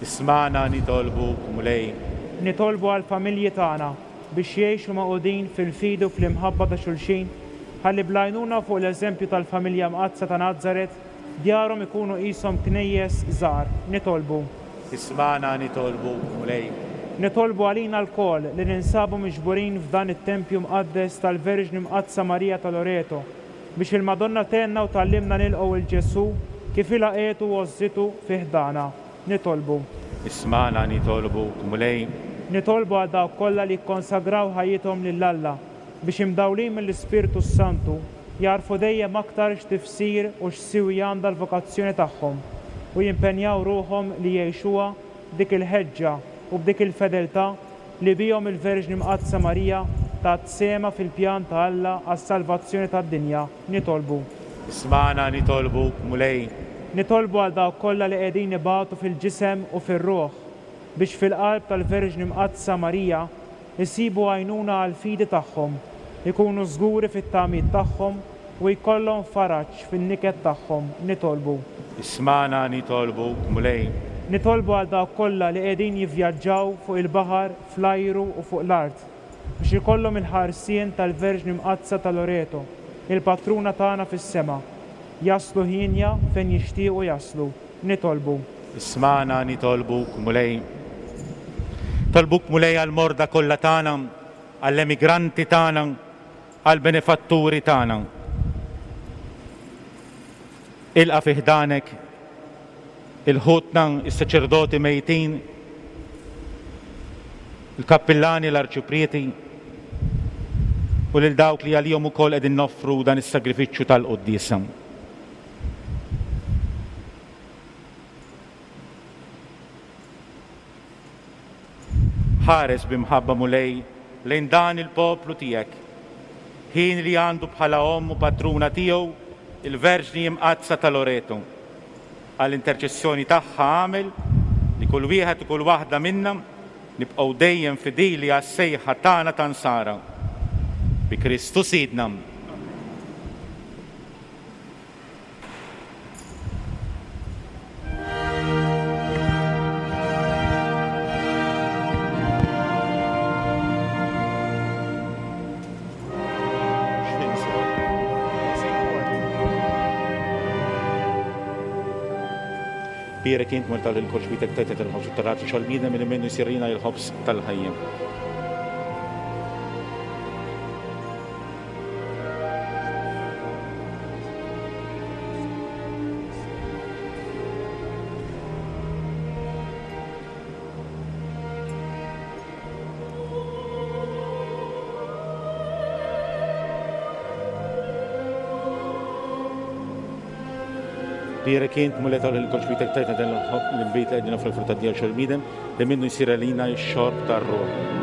Ismagħna nitolbuk, Mulej. Nitolbu għall-familji tagħna biex jgħixu magħqudin fil-fidi u fl-imħabba ta' xulxin, ħalli bl-għajnuna fuq l-eżempju tal-familja mqaddsa ta' Nazaret djarhom ikunu qishom knejjes żgħar. Nitolbu. Ismagħna nitolbuk, Mulej. Nitolbu għalina lkoll li ninsabu miġburin f'dan it-tempju mqaddes tal-Verġni Mqaddsa Marija ta' Loreto, biex il-Madonna tgħinna u tgħallimna nilqgħu il Ġesù kif ilaqgħetu u għożżitu fi ħdana. Nitolbu. Ismagħna nitolbuk, Mulej. Nitolbu għal dawk kollha li kkonsagraw ħajjithom lil Alla biex imdawlin mill-Ispirtu s-Santu jarfu dejjem aktar x'tifsir u x'siwi għandha l-vokazzjoni tagħhom u jimpenjaw ruħhom li jgħixuha b'dik il-ħeġġa u b'dik il-fedeltà li bihom il-Verġni Mqaddsa Marija tat sehemha fil-pjan ta' Alla għas-salvazzjoni tad-dinja. Nitolbu. Ismagħna nitolbuk, Mulej. Nitolbu għal dawk kollha li qegħdin ibatu fil-ġisem u fir-ruħ biex fil-qalb tal-Verġni Mqaddsa Marija jsibu għajnuna għall-fidi tagħhom, ikunu żguri fit-tamiet tagħhom u jkollhom faraġ fin-niket tagħhom. Nitolbu. Ismagħna nitolbuk, Mulej. Nitolbu għal dawk kollha li qegħdin jivvjaġġaw fuq il-baħar, fl-ajru u fuq l-art biex ikollhom il-ħarsien tal-Verġni Mqaddsa ta' Loreto, il-patruna tagħna fis-sema, jaslu ħienja fejn jixtiequ jaslu. Nitolbu. Ismagħna nitolbuk, Mulej. Tolbuk, Mulej, għall-morda kollha tagħna, għall-emigranti tagħna, għall-benefatturi tagħna. Ilqa' fi ħdanek il-ħutna, is-saċerdoti mejtin, il-kappillani, l-arċiprieti, u lil dawk li għalihom ukoll qegħdin noffru dan is-sagrifiċċju tal-quddiesa. Ħares b'imħabba, Mulej, lejn dan il-poplu tiegħek ħin li għandu bħala omm u patruna tiegħu il-Verġni Imqaddsa ta' Loreto. Għall-interċessjoni tagħha għamel li kull wieħed u kull waħda minna nibqgħu dejjem fidili għas-sejħa tagħna ta' Nsara. Bi Kristu Sidna. Bierek int Mulej tal-kolx bitek tajtet il-ħobż u tal-raġu xol-bniedem li minnu jsirina il-ħobż tal-ħajja. Bierek int Mulej tal-kolx bitek tajtet il-ħobż li għedina fil-frutta tiegħu xol-bniedem li minnu jsir għalina x-xorb tar-ruħ.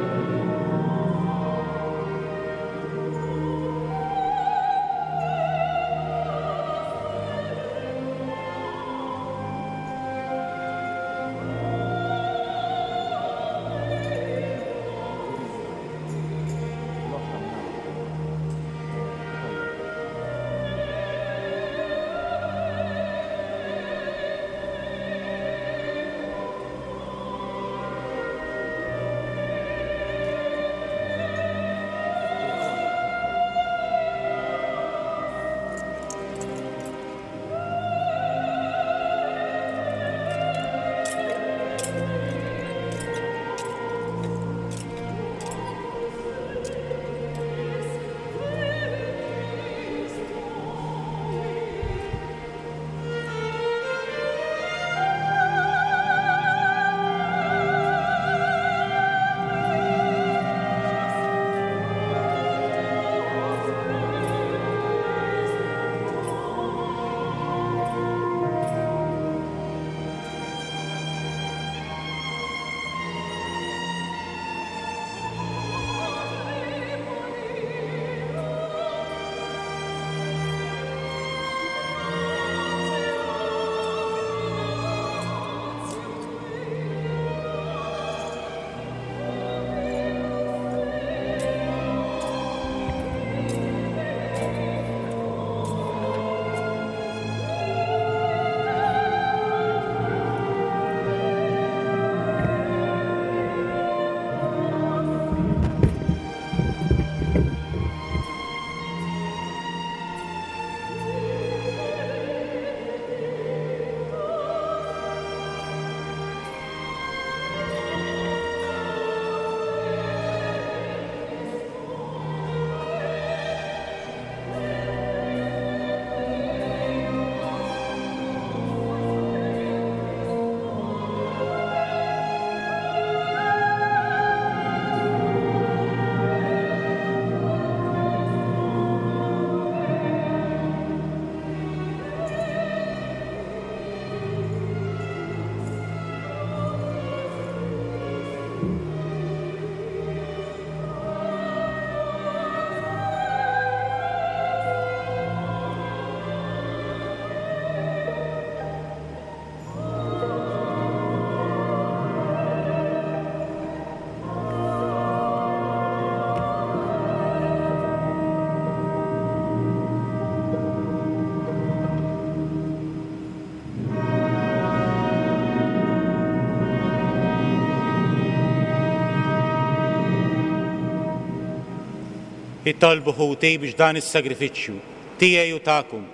Itolbu ħuti biex dan is-sagrifiċċju tiegħi u tagħkom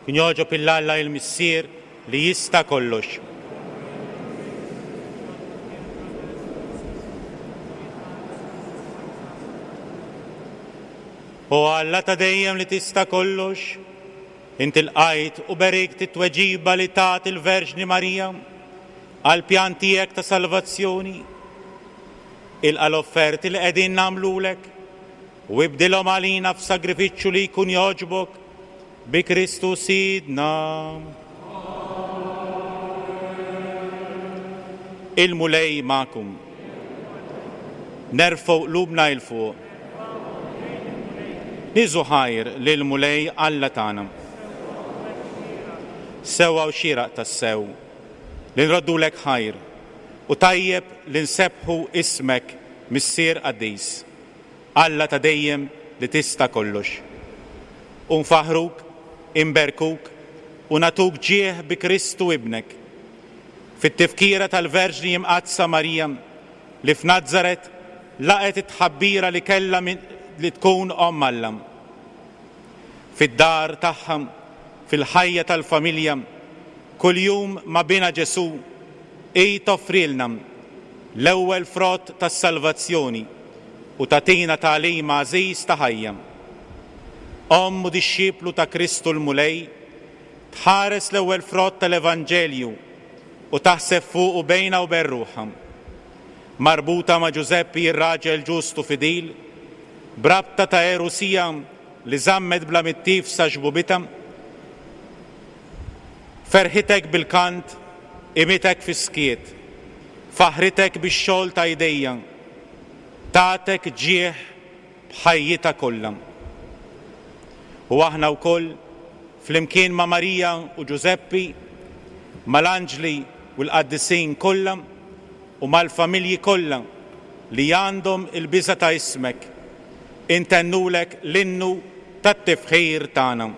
kien jogħġob il Alla il-Missier li jista' kollox. O Alla ta' dejjem li tista' kollox, inti lqajt u berikt it-tweġiba li tat il-Verġni Marija għall-pjan tiegħek ta' salvazzjoni. Ilqa' l-offerti li qegħdin nagħmlulek u ibdilhom għalina f'sagrifiċċju li jkun jogħġbok bi Kristu Sidna. Il-Mulej magħkom. Nerfgħu qlubna 'l fuq. Niżu ħajr lil Mulej Alla tagħna. Sewwa u xieraq tassew li nroddulek ħajr u tajjeb li nsebbħu ismek Missier Qaddis, Alla ta' dejjem li tista' kollox. U nfaħruk, imberkuk u nagħtuk ġieħ bi Kristu ibnek. Fit-tifkira tal-Verġni Imqaddsa Marija li f'Nazzaret laqgħet it-tħabbira li kellha li tkun omm Alla. Fid-dar tagħha, fil-ħajja tal-familja, kuljum ma' bina Ġesù, hi toffrilna l-ewwel frott tas-salvazzjoni u tagħtina tagħlim għażiż ta' ħajja. Omm u dixxiplu ta' Kristu l-Mulej, tħares l-ewwel frott tal-Evanġelju u taħseb fuqu bejna u bejn ruħha. Marbuta ma' Ġużeppi ir-raġel ġust u fidil, brabta ta' erusija li żammet bla mittif sa xbubita, ferħitek bil-kant, imitek fis-skiet, faħritek bix-xogħol ta' idejja, tatek ġieħ b'ħajjitha kollha. U aħna wkoll flimkien ma' Marija u Ġużeppi, mal-anġli u l-qaddisin kollha u mal-familji kollha li għandhom il-biża' ta' ismek, intennulek l-innu tat-tifħir tagħna.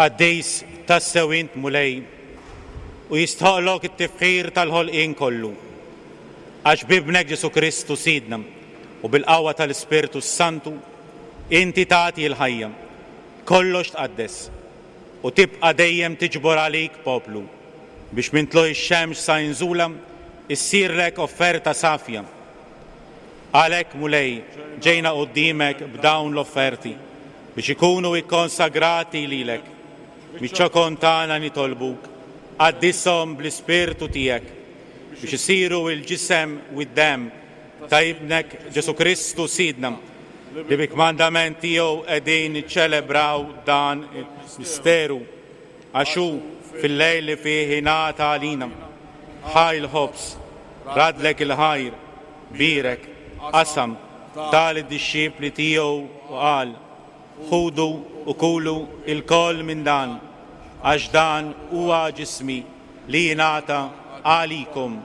Qaddis tassew int Mulej u jistħoqlok it-tifħir tal-ħolqien kollu. Għax b'ibnek Ġesù Kristu Sidna u bil-qawwa tal-Ispirtu Santu inti tagħti l-ħajja, kollox tqaddes u tibqa' dejjem tiġbor għalik poplu biex minn tlugħ ix-xemx sa inżula issirlek offerta safja. Għalhekk Mulej ġejna quddiemek b'dawn l-offerti biex ikunu ikkonsagrati lilek. Miċ-ċokon tagħna nitolbuk, qaddishom bl-Ispirtu tiegħek biex isiru l-ġisem u d-demm ta' Ibnek Ġesù Kristu Sidna, li bi kmandament tiegħu qegħdin niċċelebraw dan il-misteru, għax hu fil-lejl li fih ingħata għalina, ħa l-ħobż, radlek il-ħajr, bierek, qasam, ta lid-dixxipli tiegħu u qal: Ħudu u kulu lkoll minn dan, għax dan huwa ġismi li jingħata għalikom.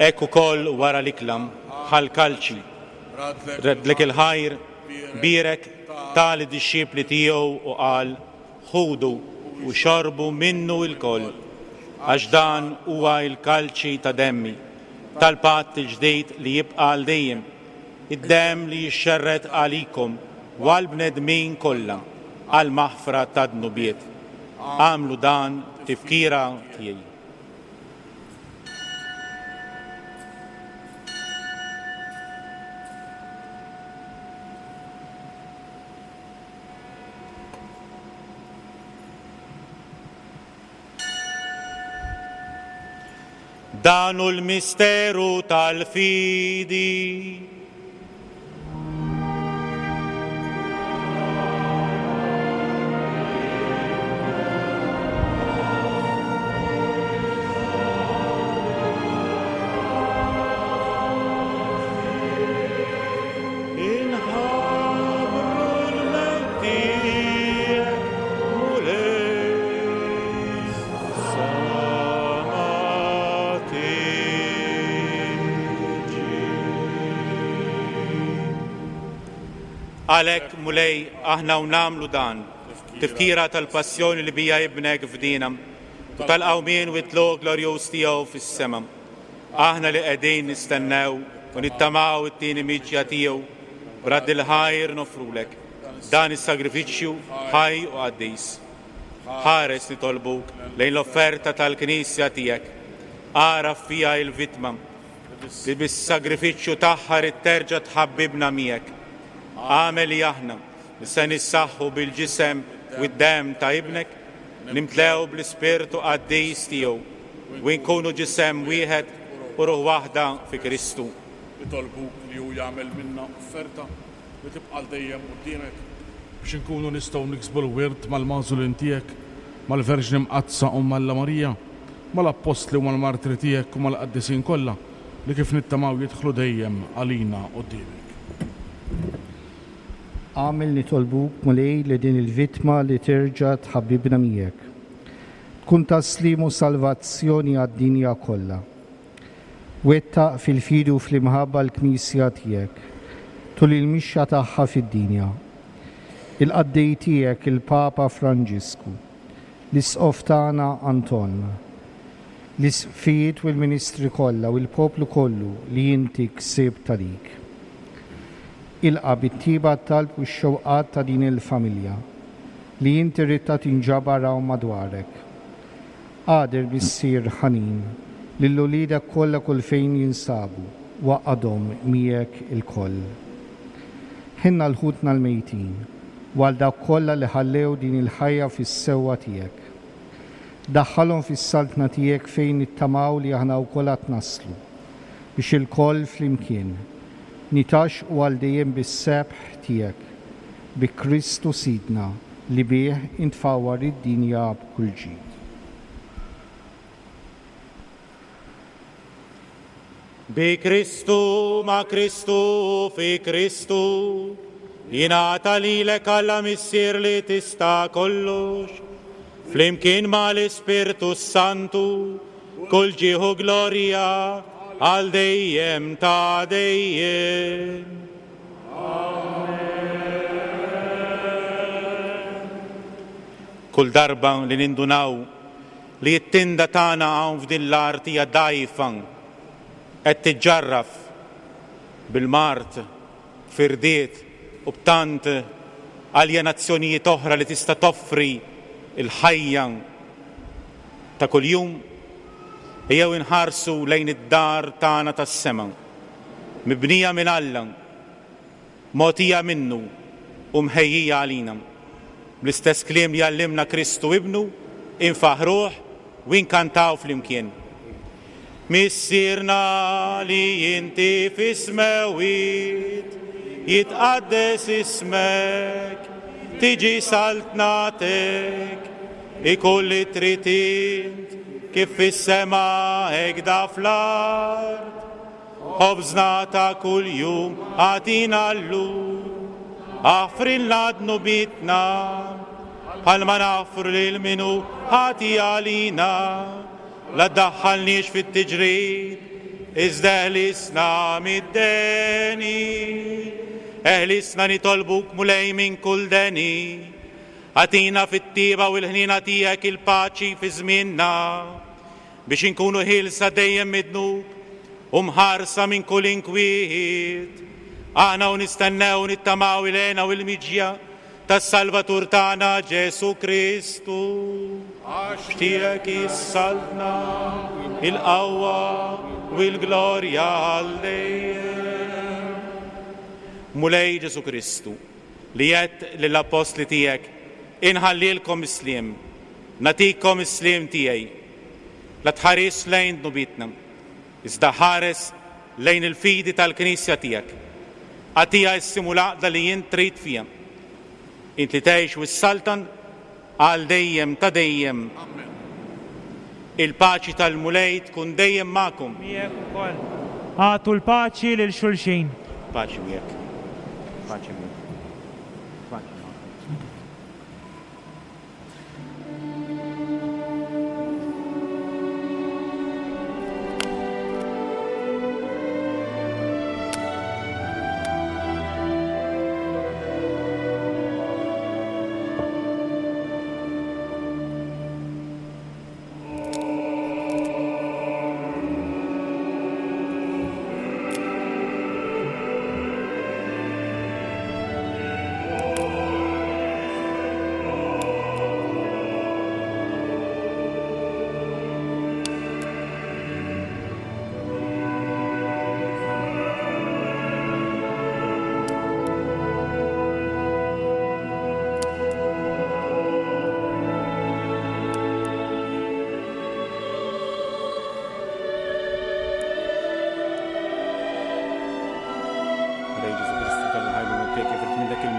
Hekk ukoll wara l-ikla, ħa l-kalċi, radlek il-ħajr, bierek, ta lid-dixxipli tiegħu u qal: Ħudu u xorbu minnu lkoll, għax dan huwa l-kalċi ta' demmi, tal-patt il-ġdid li jibqa' għal dejjem, id-demm li jixxerred għalikom u għall-bnedmin kollha għall-maħfra ta' dnubiet. Agħmlu dan tifkira tiegħi. Dan hu l-misteru tal-fidi. Inħabbru l-mewt tiegħek, Mulej, sa ma tiġi. Għalhekk, Mulej, aħna u nagħmlu dan, tifkira tal-passjoni li bija ibnek fdina u tal-qawmien u t-tluq glorjuż tiegħu fis-sema. Aħna li qegħdin nistennew u nittamaw it-tieni miġja tiegħu, b'radd il-ħajr nofrulek dan is-sagrifiċċju ħaj u qaddis. Ħares nitolbuk lejn l-offerta tal-Knisja tiegħek. Agħraf fiha il-vittma li bis-sagrifiċċju tagħha rid terġa' tħabbibna miegħek. Agħmel li aħna li se nissaħħu bil-ġisem u d-demm ta' ibnek, nimtlew bl-Ispirtu qaddis tiegħu u nkunu ġisem wieħed u ruħ waħda fi Kristu. Nitolbuk li hu jagħmel minna offerta li tibqa' għal dejjem quddiemek, biex inkunu nistgħu niksbu l-wirt mal-magħżulin tiegħek, mal-Verġni Mqaddsa u Alla Marija, mal-Appostli u mal-Martri tiegħek u mal-qaddisin kollha li kif nittamaw jidħlu dejjem għalina quddiemek. Agħmel nitolbuk, Mulej, li din il-vittma li terġa' tħabbibna miegħek tkun ta' sliem u salvazzjoni għad-dinja kollha. Wettaq fil-fidi u fl-imħabba l-Knisja tiegħek tul il-mixja tagħha fid-dinja. Il-qaddej tiegħek il-Papa Franġisku, l-Isqof tagħna Anton, l-isqfijiet u l-ministri kollha u l-poplu kollu li inti ksibt għalik. Ilqa' bit-tiba t-talb u x-xewqat ta' din il-familja li inti ridtha tinġabar hawn madwarek. Għadir Missier ħanin lil uliedek kollha kull fejn jinsabu, waqadhom miegħek ilkoll. Ħinna l-ħutna l-mejtin u għal dawk kollha li ħallew din il-ħajja fis-sewwa tiegħek. Daħħalhom fis-saltna tiegħek fejn nittamaw li aħna wkoll għad naslu, biex ilkoll flimkien nitaxqu għal dejjem bis-sebħ tiegħek, bi Kristu Sidna li bih intfawwar id-dinja b'kull ġid. Bi Kristu, ma' Kristu, fi Kristu, jingħata lilek Alla Missier li tista' kollox, flimkien mal-Ispirtu Santu, kull ġieħ u glorja għal dejjem ta' dejjem. Kull darba li nindunaw li t-tinda tagħna hawn f'din l-art hija dgħajfa, qed tiġġarraf bil-mard, firdiet u b'tant aljenazzjonijiet oħra li tista' toffri il-ħajja ta' kuljum, ejjew inħarsu lejn id-dar tagħna tas-sema, mibnija minn Alla, mogħtija minnu u mħejjija għalina. Bl-istess kliem li għallimna Kristu ibnu, infaħruh u inkantaw flimkien. Missierna li inti fis-smewwiet, jitqaddes ismek, tiġi saltnatek, ikun li trid int, kif fis-sema hekk da fl-art. Ħobżna ta' kuljum agħtina llum, aħfrilna dnubietna, bħalma naħfru lil min hu ħati għalina, la ddaħħalniex fit-tiġrib, iżda eħlisna mid-deni. Eħlisna nitolbuk Mulej minn kull deni, agħtina fit-tieba u l-ħniena tiegħek il-paċi fi żmienna, biex inkunu ħielsa dejjem mid-dnub u mħarsa minn kull inkwiet. Aħna u nistennew nittamaw il-hena u l-miġja tas-Salvatur tagħna Ġesu Kristu. Għax tiegħek is-saltna, il-qawwa u l-glorja għal dejjem. Mulej Ġesu Kristu, li għedt lill-appostli tiegħek, inħallilkom is-sliem, nagħtikom is-sliem tiegħi. La tħares lejn dnubietna, iżda ħares lejn il-fidi tal-Knisja tiegħek. Agħtiha s-sliem u l-għaqda li jien trid fiha. Int li tgħix u s-saltan għal dejjem ta' dejjem. Il-paċi tal-Mulej tkun dejjem magħkom. Miegħek ukoll. Agħtu l-paċi lil xulxin. Paċi miegħek. Paċi miegħek. Paċi magħkom.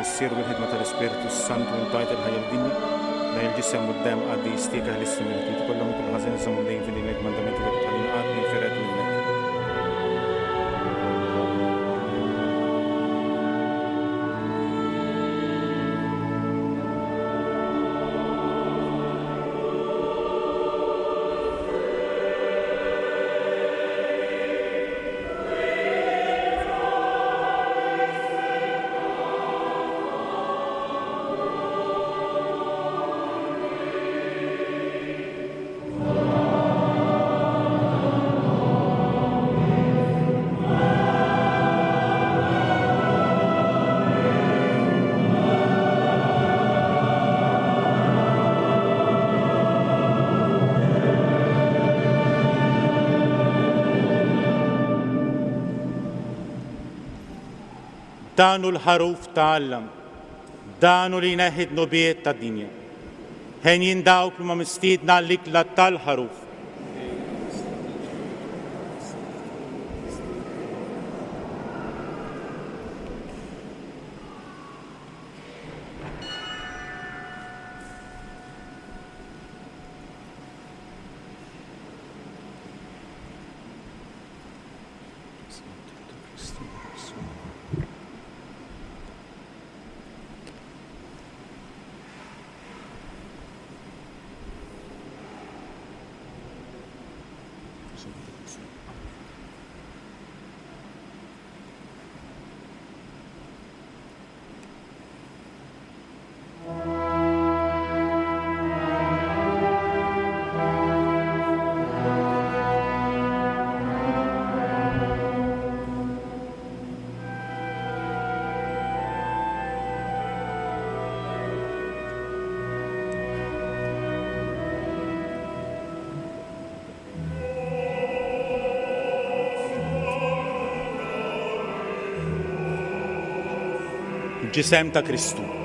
Missier u bil-ħidma tal-Ispirtu Santu intajt il-ħajja l-dinja, dan il-ġisem u d-demm qaddis tiegħek eħlisni mill-ħtijiet kollha minn kull ħażin, żomm dejjem fidejn il-kmandamenti tiegħek u tħallini qatt ninfired minnek. Dan hu l-ħaruf ta' Alla, dan hu li jneħħi d-dnubiet tad-dinja. Henjin dawk li huma mistiedna għall-ikla tal-ħaruf. ġisem ta' Kristu.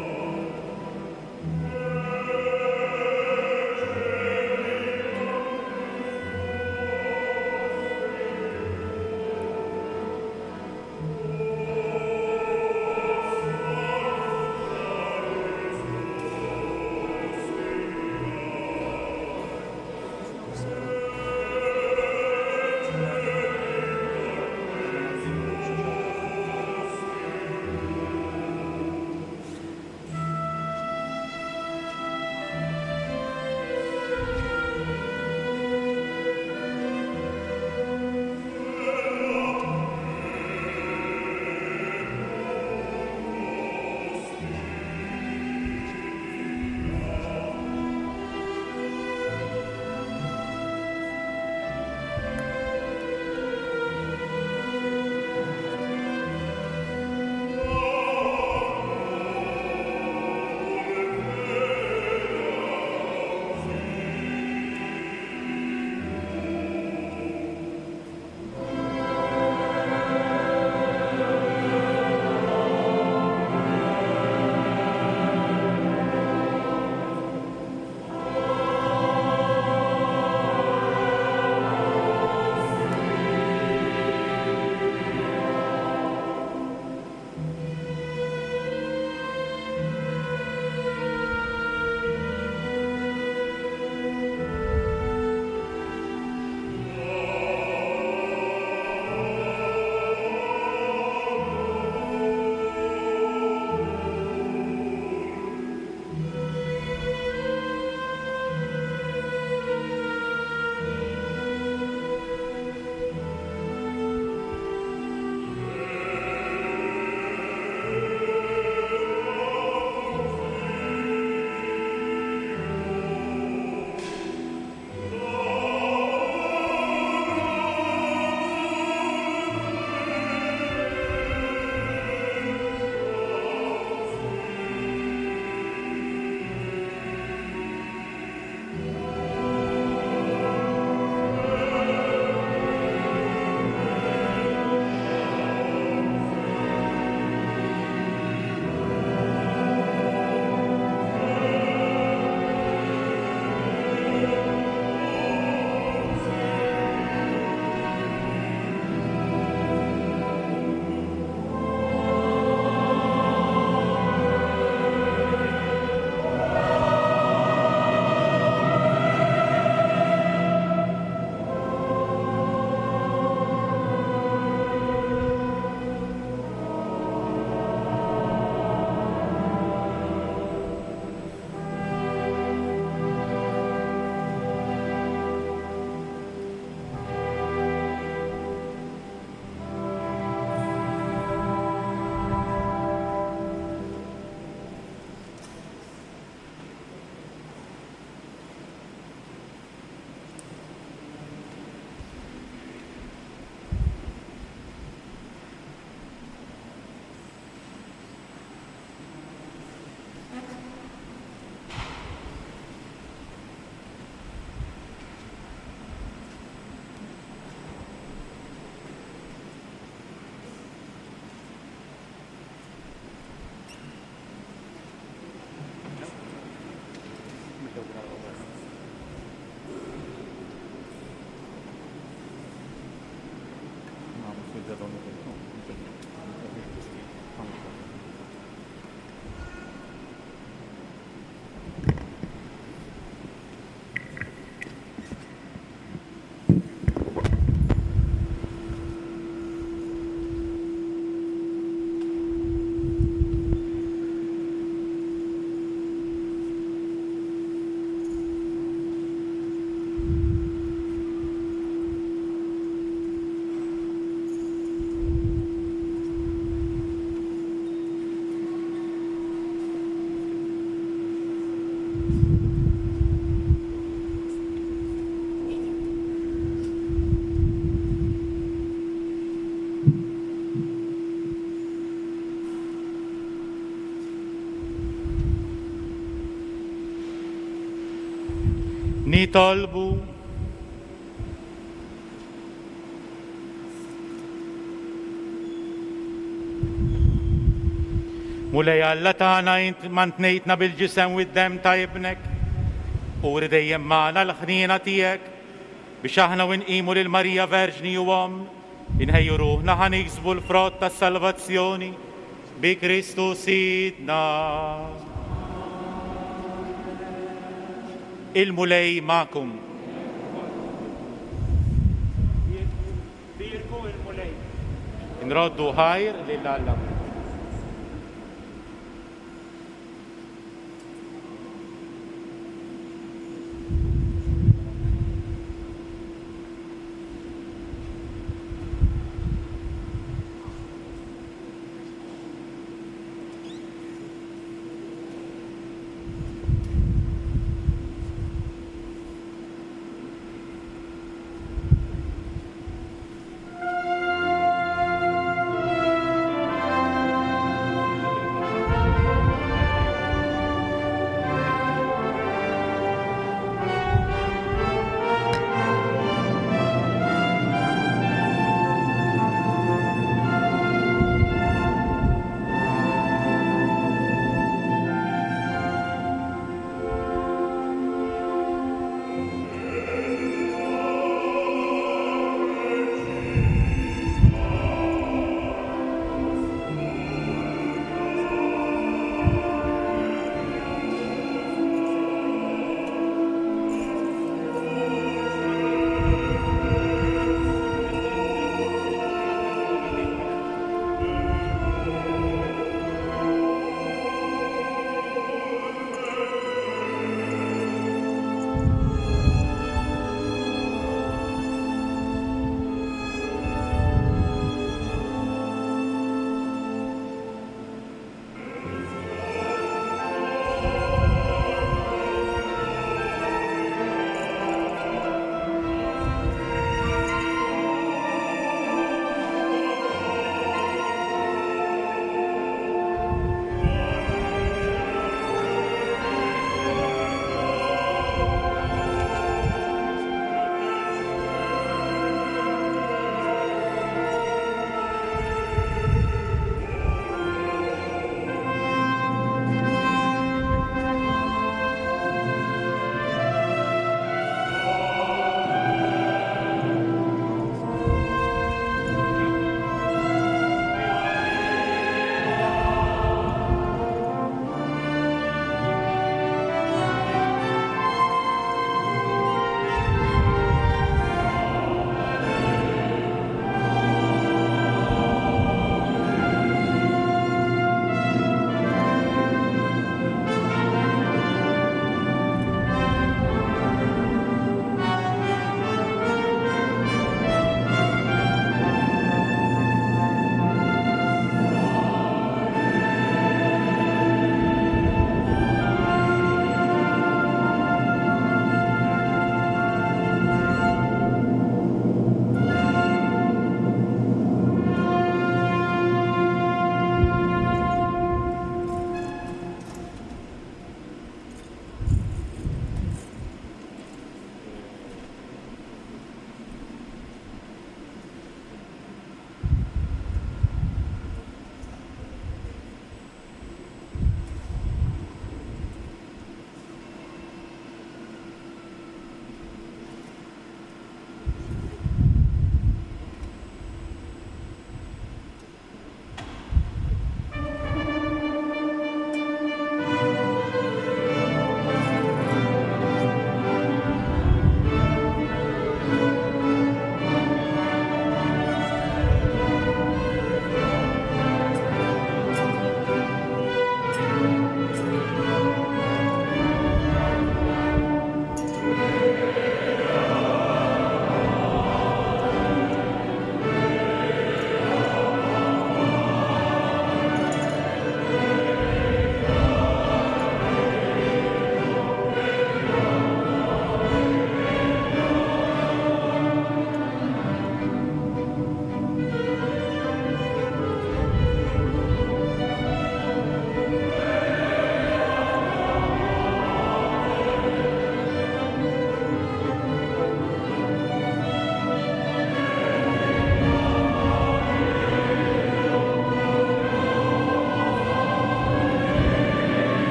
Nitolbu. Mulej Alla tagħna int mantnejtna bil-ġisem u d-demm ta' ibnek. Uri dejjem magħna l-ħniena tiegħek biex aħna u nqimu lil Marija Verġni u Omm, inħejju ruħna ħa niksbu l-frott tas-salvazzjoni bi Kristu Sidna. Il-Mulej magħkom. Bierku il-Mulej. Nroddu ħajr lil Alla. Thank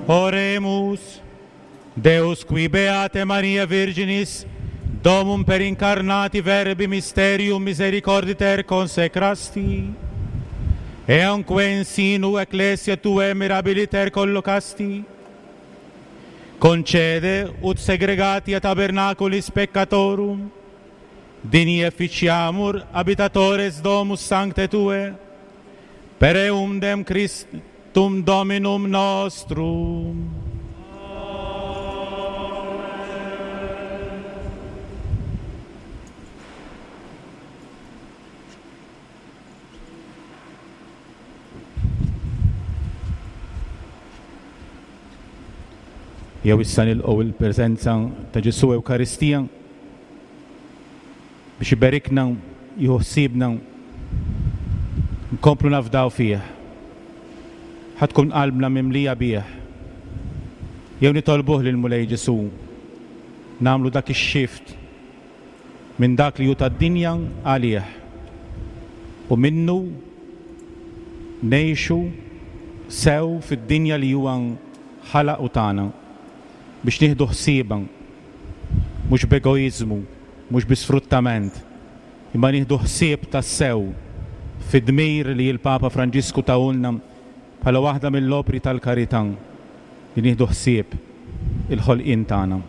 Oremus. Deus qui beate Maria Virginis, domum per incarnati verbi mysterium misericorditer consecrasti, eamque in sinu ecclesia tue mirabiliter collocasti, concede ut segregati a tabernaculis peccatorum, digni efficiamur habitatores domus sancte tue, per eum dem Christum Dominum nostrum. Jew issa nilqgħu il-preżenza ta' Ġesù Ewkaristija biex iberikna, jieħu ħsiebna, nkomplu nafdaw fih. Ħa tkun qalbna mimlija bih. Jew nitolbuh lil Mulej Ġesù nagħmlu dak ix-xift minn dak li hu tad-dinja għalih u minnu ngħixu sew fid-dinja li huwa ħalaq u tagħna biex nieħdu ħsiebha, mhux b'egoiżmu, mhux bi sfruttament, imma nieħdu ħsieb tassew fid-dmir li l-Papa Franġisku tawulna bħala waħda mill-opri tal-karità li nieħdu ħsieb il-ħolqien tagħna.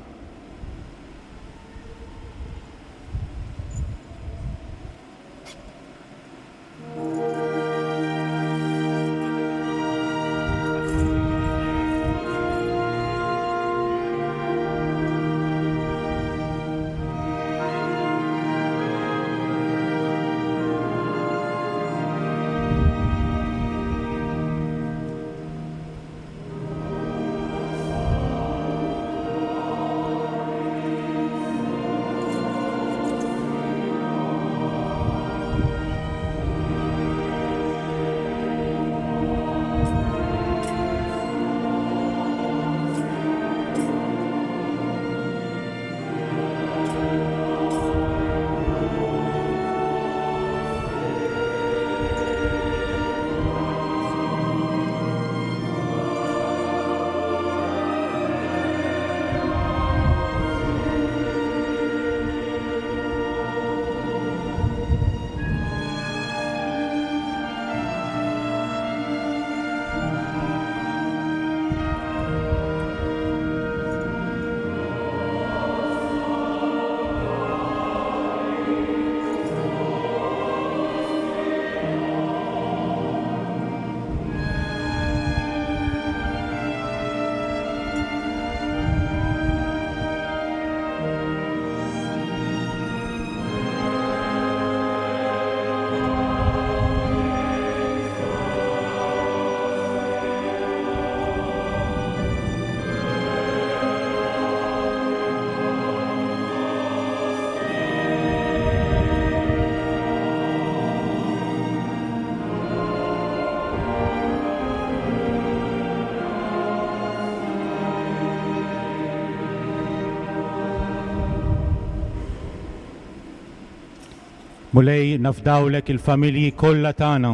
Mulej, nafdawlek il-familji kollha tagħna,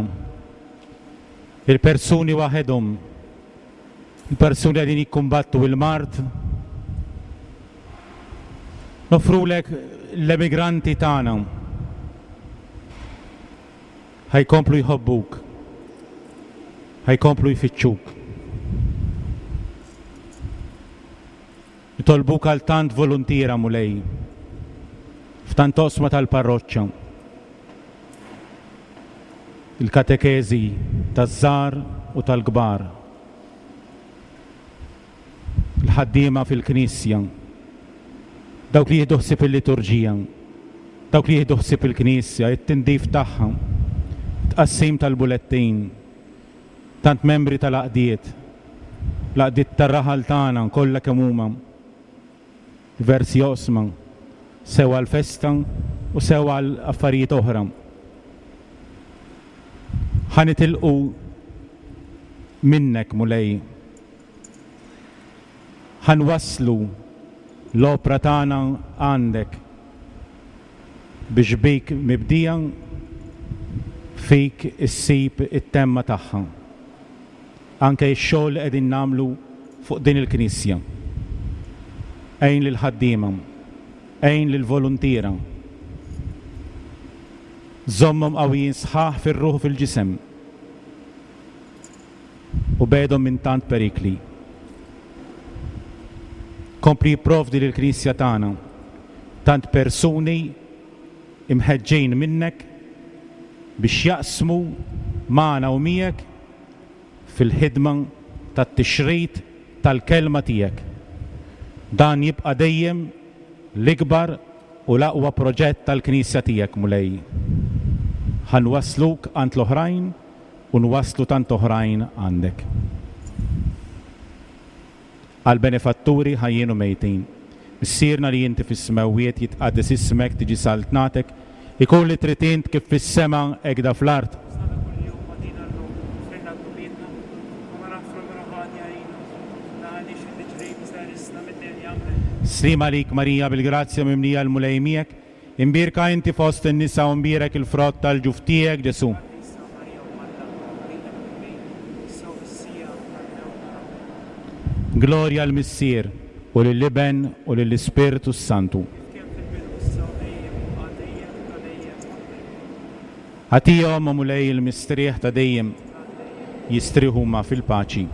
il-persuni waħedhom, il-persuni qegħdin jikkumbattu il-mard. Nofrulek l-emigranti tagħna. Ħajkomplu jħobbuk, ħajkomplu jfittxuk. Nitolbuk għal tant voluntiera, Mulej, f'tant osma tal-parroċċa. Il-katekezi taż-żgħar u tal-kbar, il-ħaddiema fil-knisja, dawk li jieħdu ħsieb il-liturġija, dawk li jieħdu ħsieb il-knisja, it-tindif tagħha, tqassim tal-bulettin, tant membri tal-għaqdiet, l-għaqdiet tar-raħal tagħna kollha kemm huma, diversi oqsma, sew għall-festa u sew għal affarijiet oħra. Ħa nitilqu minnek, Mulej. Ħa nwasslu l-opra tagħna għandek biex bik mibdija fik issib it-temma tagħha. Anke x-xogħol li qegħdin nagħmlu fuq din il-Knisja. Għin lill-ħaddiema, għin lill-voluntiera. Żommhom qawwijin sħaħ fir-ruħ u fil-ġisem u begħedhom minn tant perikli. Kompli jipprovdi lill-Knisja tagħna tant persuni imħeġġin minnek biex jaqsmu magħna u miegħek fil-ħidma tat-tixrid tal-kelma tiegħek. Dan jibqa' dejjem l-ikbar u l-aqwa proġett tal-Knisja tiegħek, Mulej. Ħa nwassluk għand l-oħrajn u nwasslu tant oħrajn għandek. Għall-benefatturi ħajjin u mejtin. Missierna li inti fis-smewwiet jitqaddes ismek, tiġi saltnatek, ikun li trid int kif fis-sema hekk fl-art. Sana kuljum agħtina llum, aħfrilna dnubietna, bħalma naħfru lil min hu ħati għalina, u tneħħilniex fit-tiġrib iżda eħlisna mid-deni. Amen. Sliem għalik Marija bil-grazzja mimlija l-Mulej miegħek, imbierka inti fost in-nisa u mbierek il-frott tal-ġuf tiegħek Ġesù. Qaddisa Marija Omm Alla, itlob għalina midinbin, issa u fis-siegħa tal-mewt tagħna. Amen. Glorja lill-Missier u lill-Iben u lill-Ispirtu s-Santu. Kif kien fil-bidu issa u dejjem u għal dejjem ta' dejjem. Amen. Agħtihom, o Mulej, il-mistrieħ ta' dejjem, jistrieħu huma fil-paċi.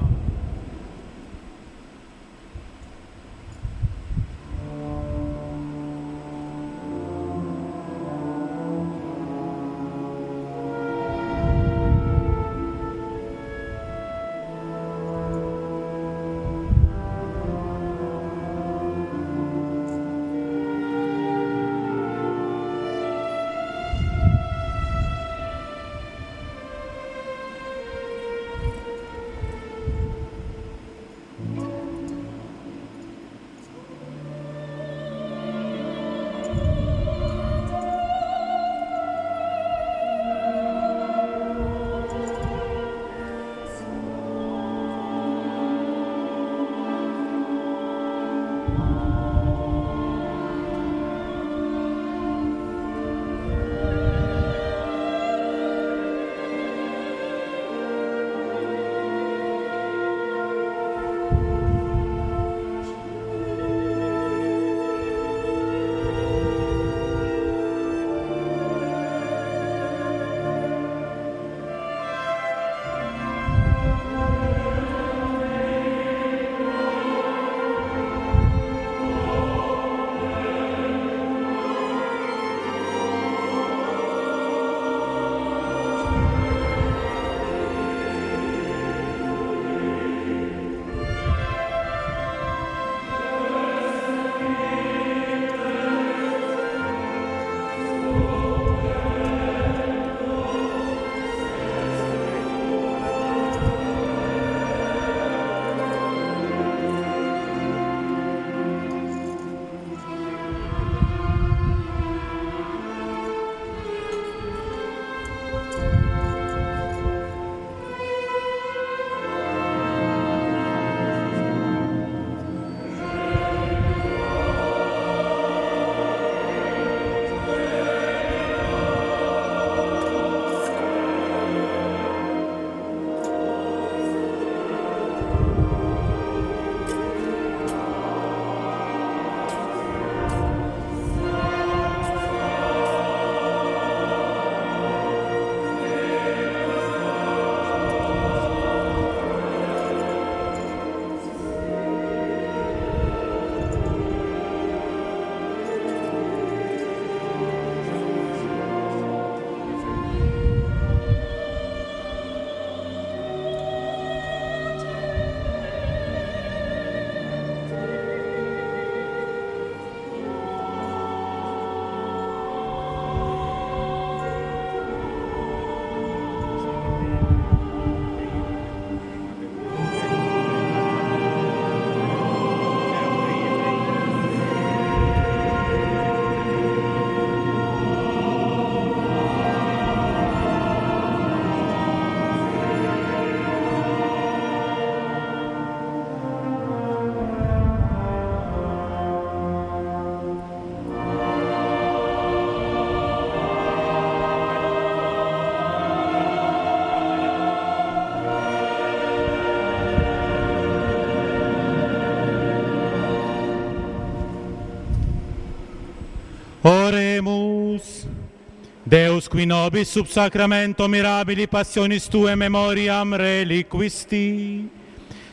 Deus qui nobis sub sacramento mirabili passionis tue memoriam reliquisti,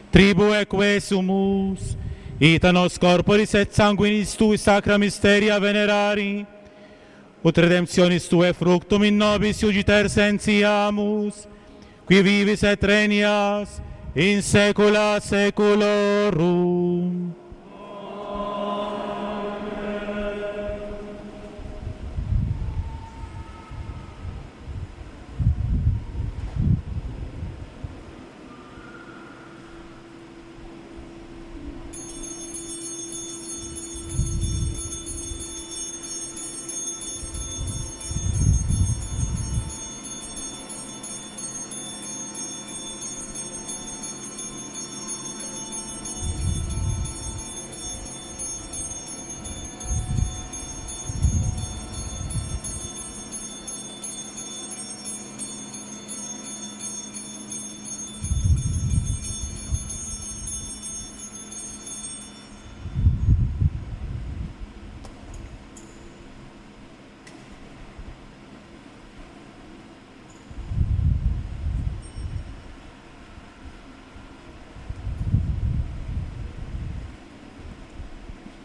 tribu eque sumus, ita nos corporis et sanguinis tui sacra mysteria venerari, ut redemptionis tue fructum in nobis iugiter sentiamus, qui vivis et regnas in saecula saeculorum.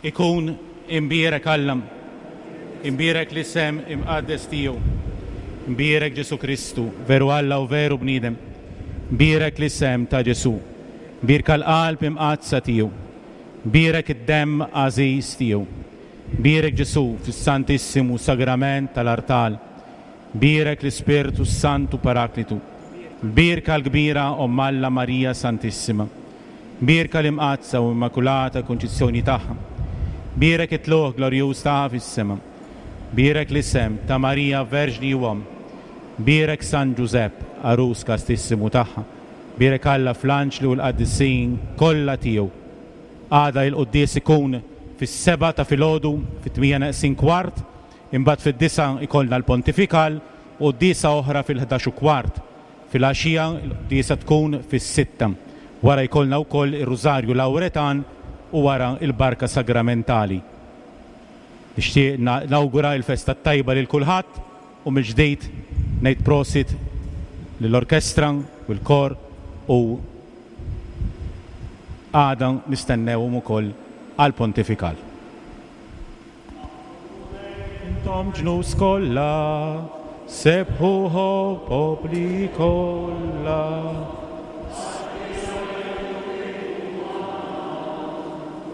Ikun imbierek Alla, imbierek l-isem imqaddes tiegħu, imbierek Ġesu Kristu, veru Alla u veru bniedem, imbierek l-isem ta' Ġesu, imbierka l-qalb imqaddsa tiegħu, imbierek id-demm għażiż tiegħu, imbierek Ġesu fis-Santissimu Sagrament tal-Artal, imbierek l-Ispirtu Santu Paraklitu, imbierka l-kbira Omm Alla Marija Santissima, imbierka l-imqaddsa u Immakulata Kunċizzjoni tagħha, bierek it-tluq glorjuż tagħha fis-sema, bierek l-isem ta' Marija Verġni u Omm, bierek San Ġużepp għarus kastissimu tagħha, bierek Alla fl-anġli u l-qaddisin kollha tiegħu. Għada il-quddies ikun fis-seba' ta' filgħodu fit-tmija neqsin kwart, imbagħad fid-disa' ikollna l-pontifikal u quddiesa oħra fil-ħdax u kwart. Fil-għaxija l-quddiesa tkun fis-sitta. Wara jkollna wkoll ir-Rużarju Lawretan u wara il-barka sagramentali. Nixtieq nawgura l-festa tajba lil kulħadd u mill-ġdid ngħid prosit lill-orkestra u l-kor u għada nistennewhom ukoll għall-pontifikal. Intom ġnus kollha, sebħuhu popli kollha.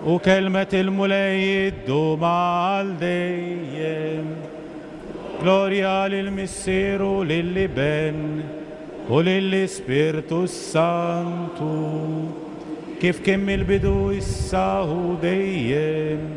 U kelmet il-Mulej iddum għal dejjem. Glorja lill-Missier u lill-Iben u lill-Ispirtu Santu, kif kien mill-bidu issa u dejjem.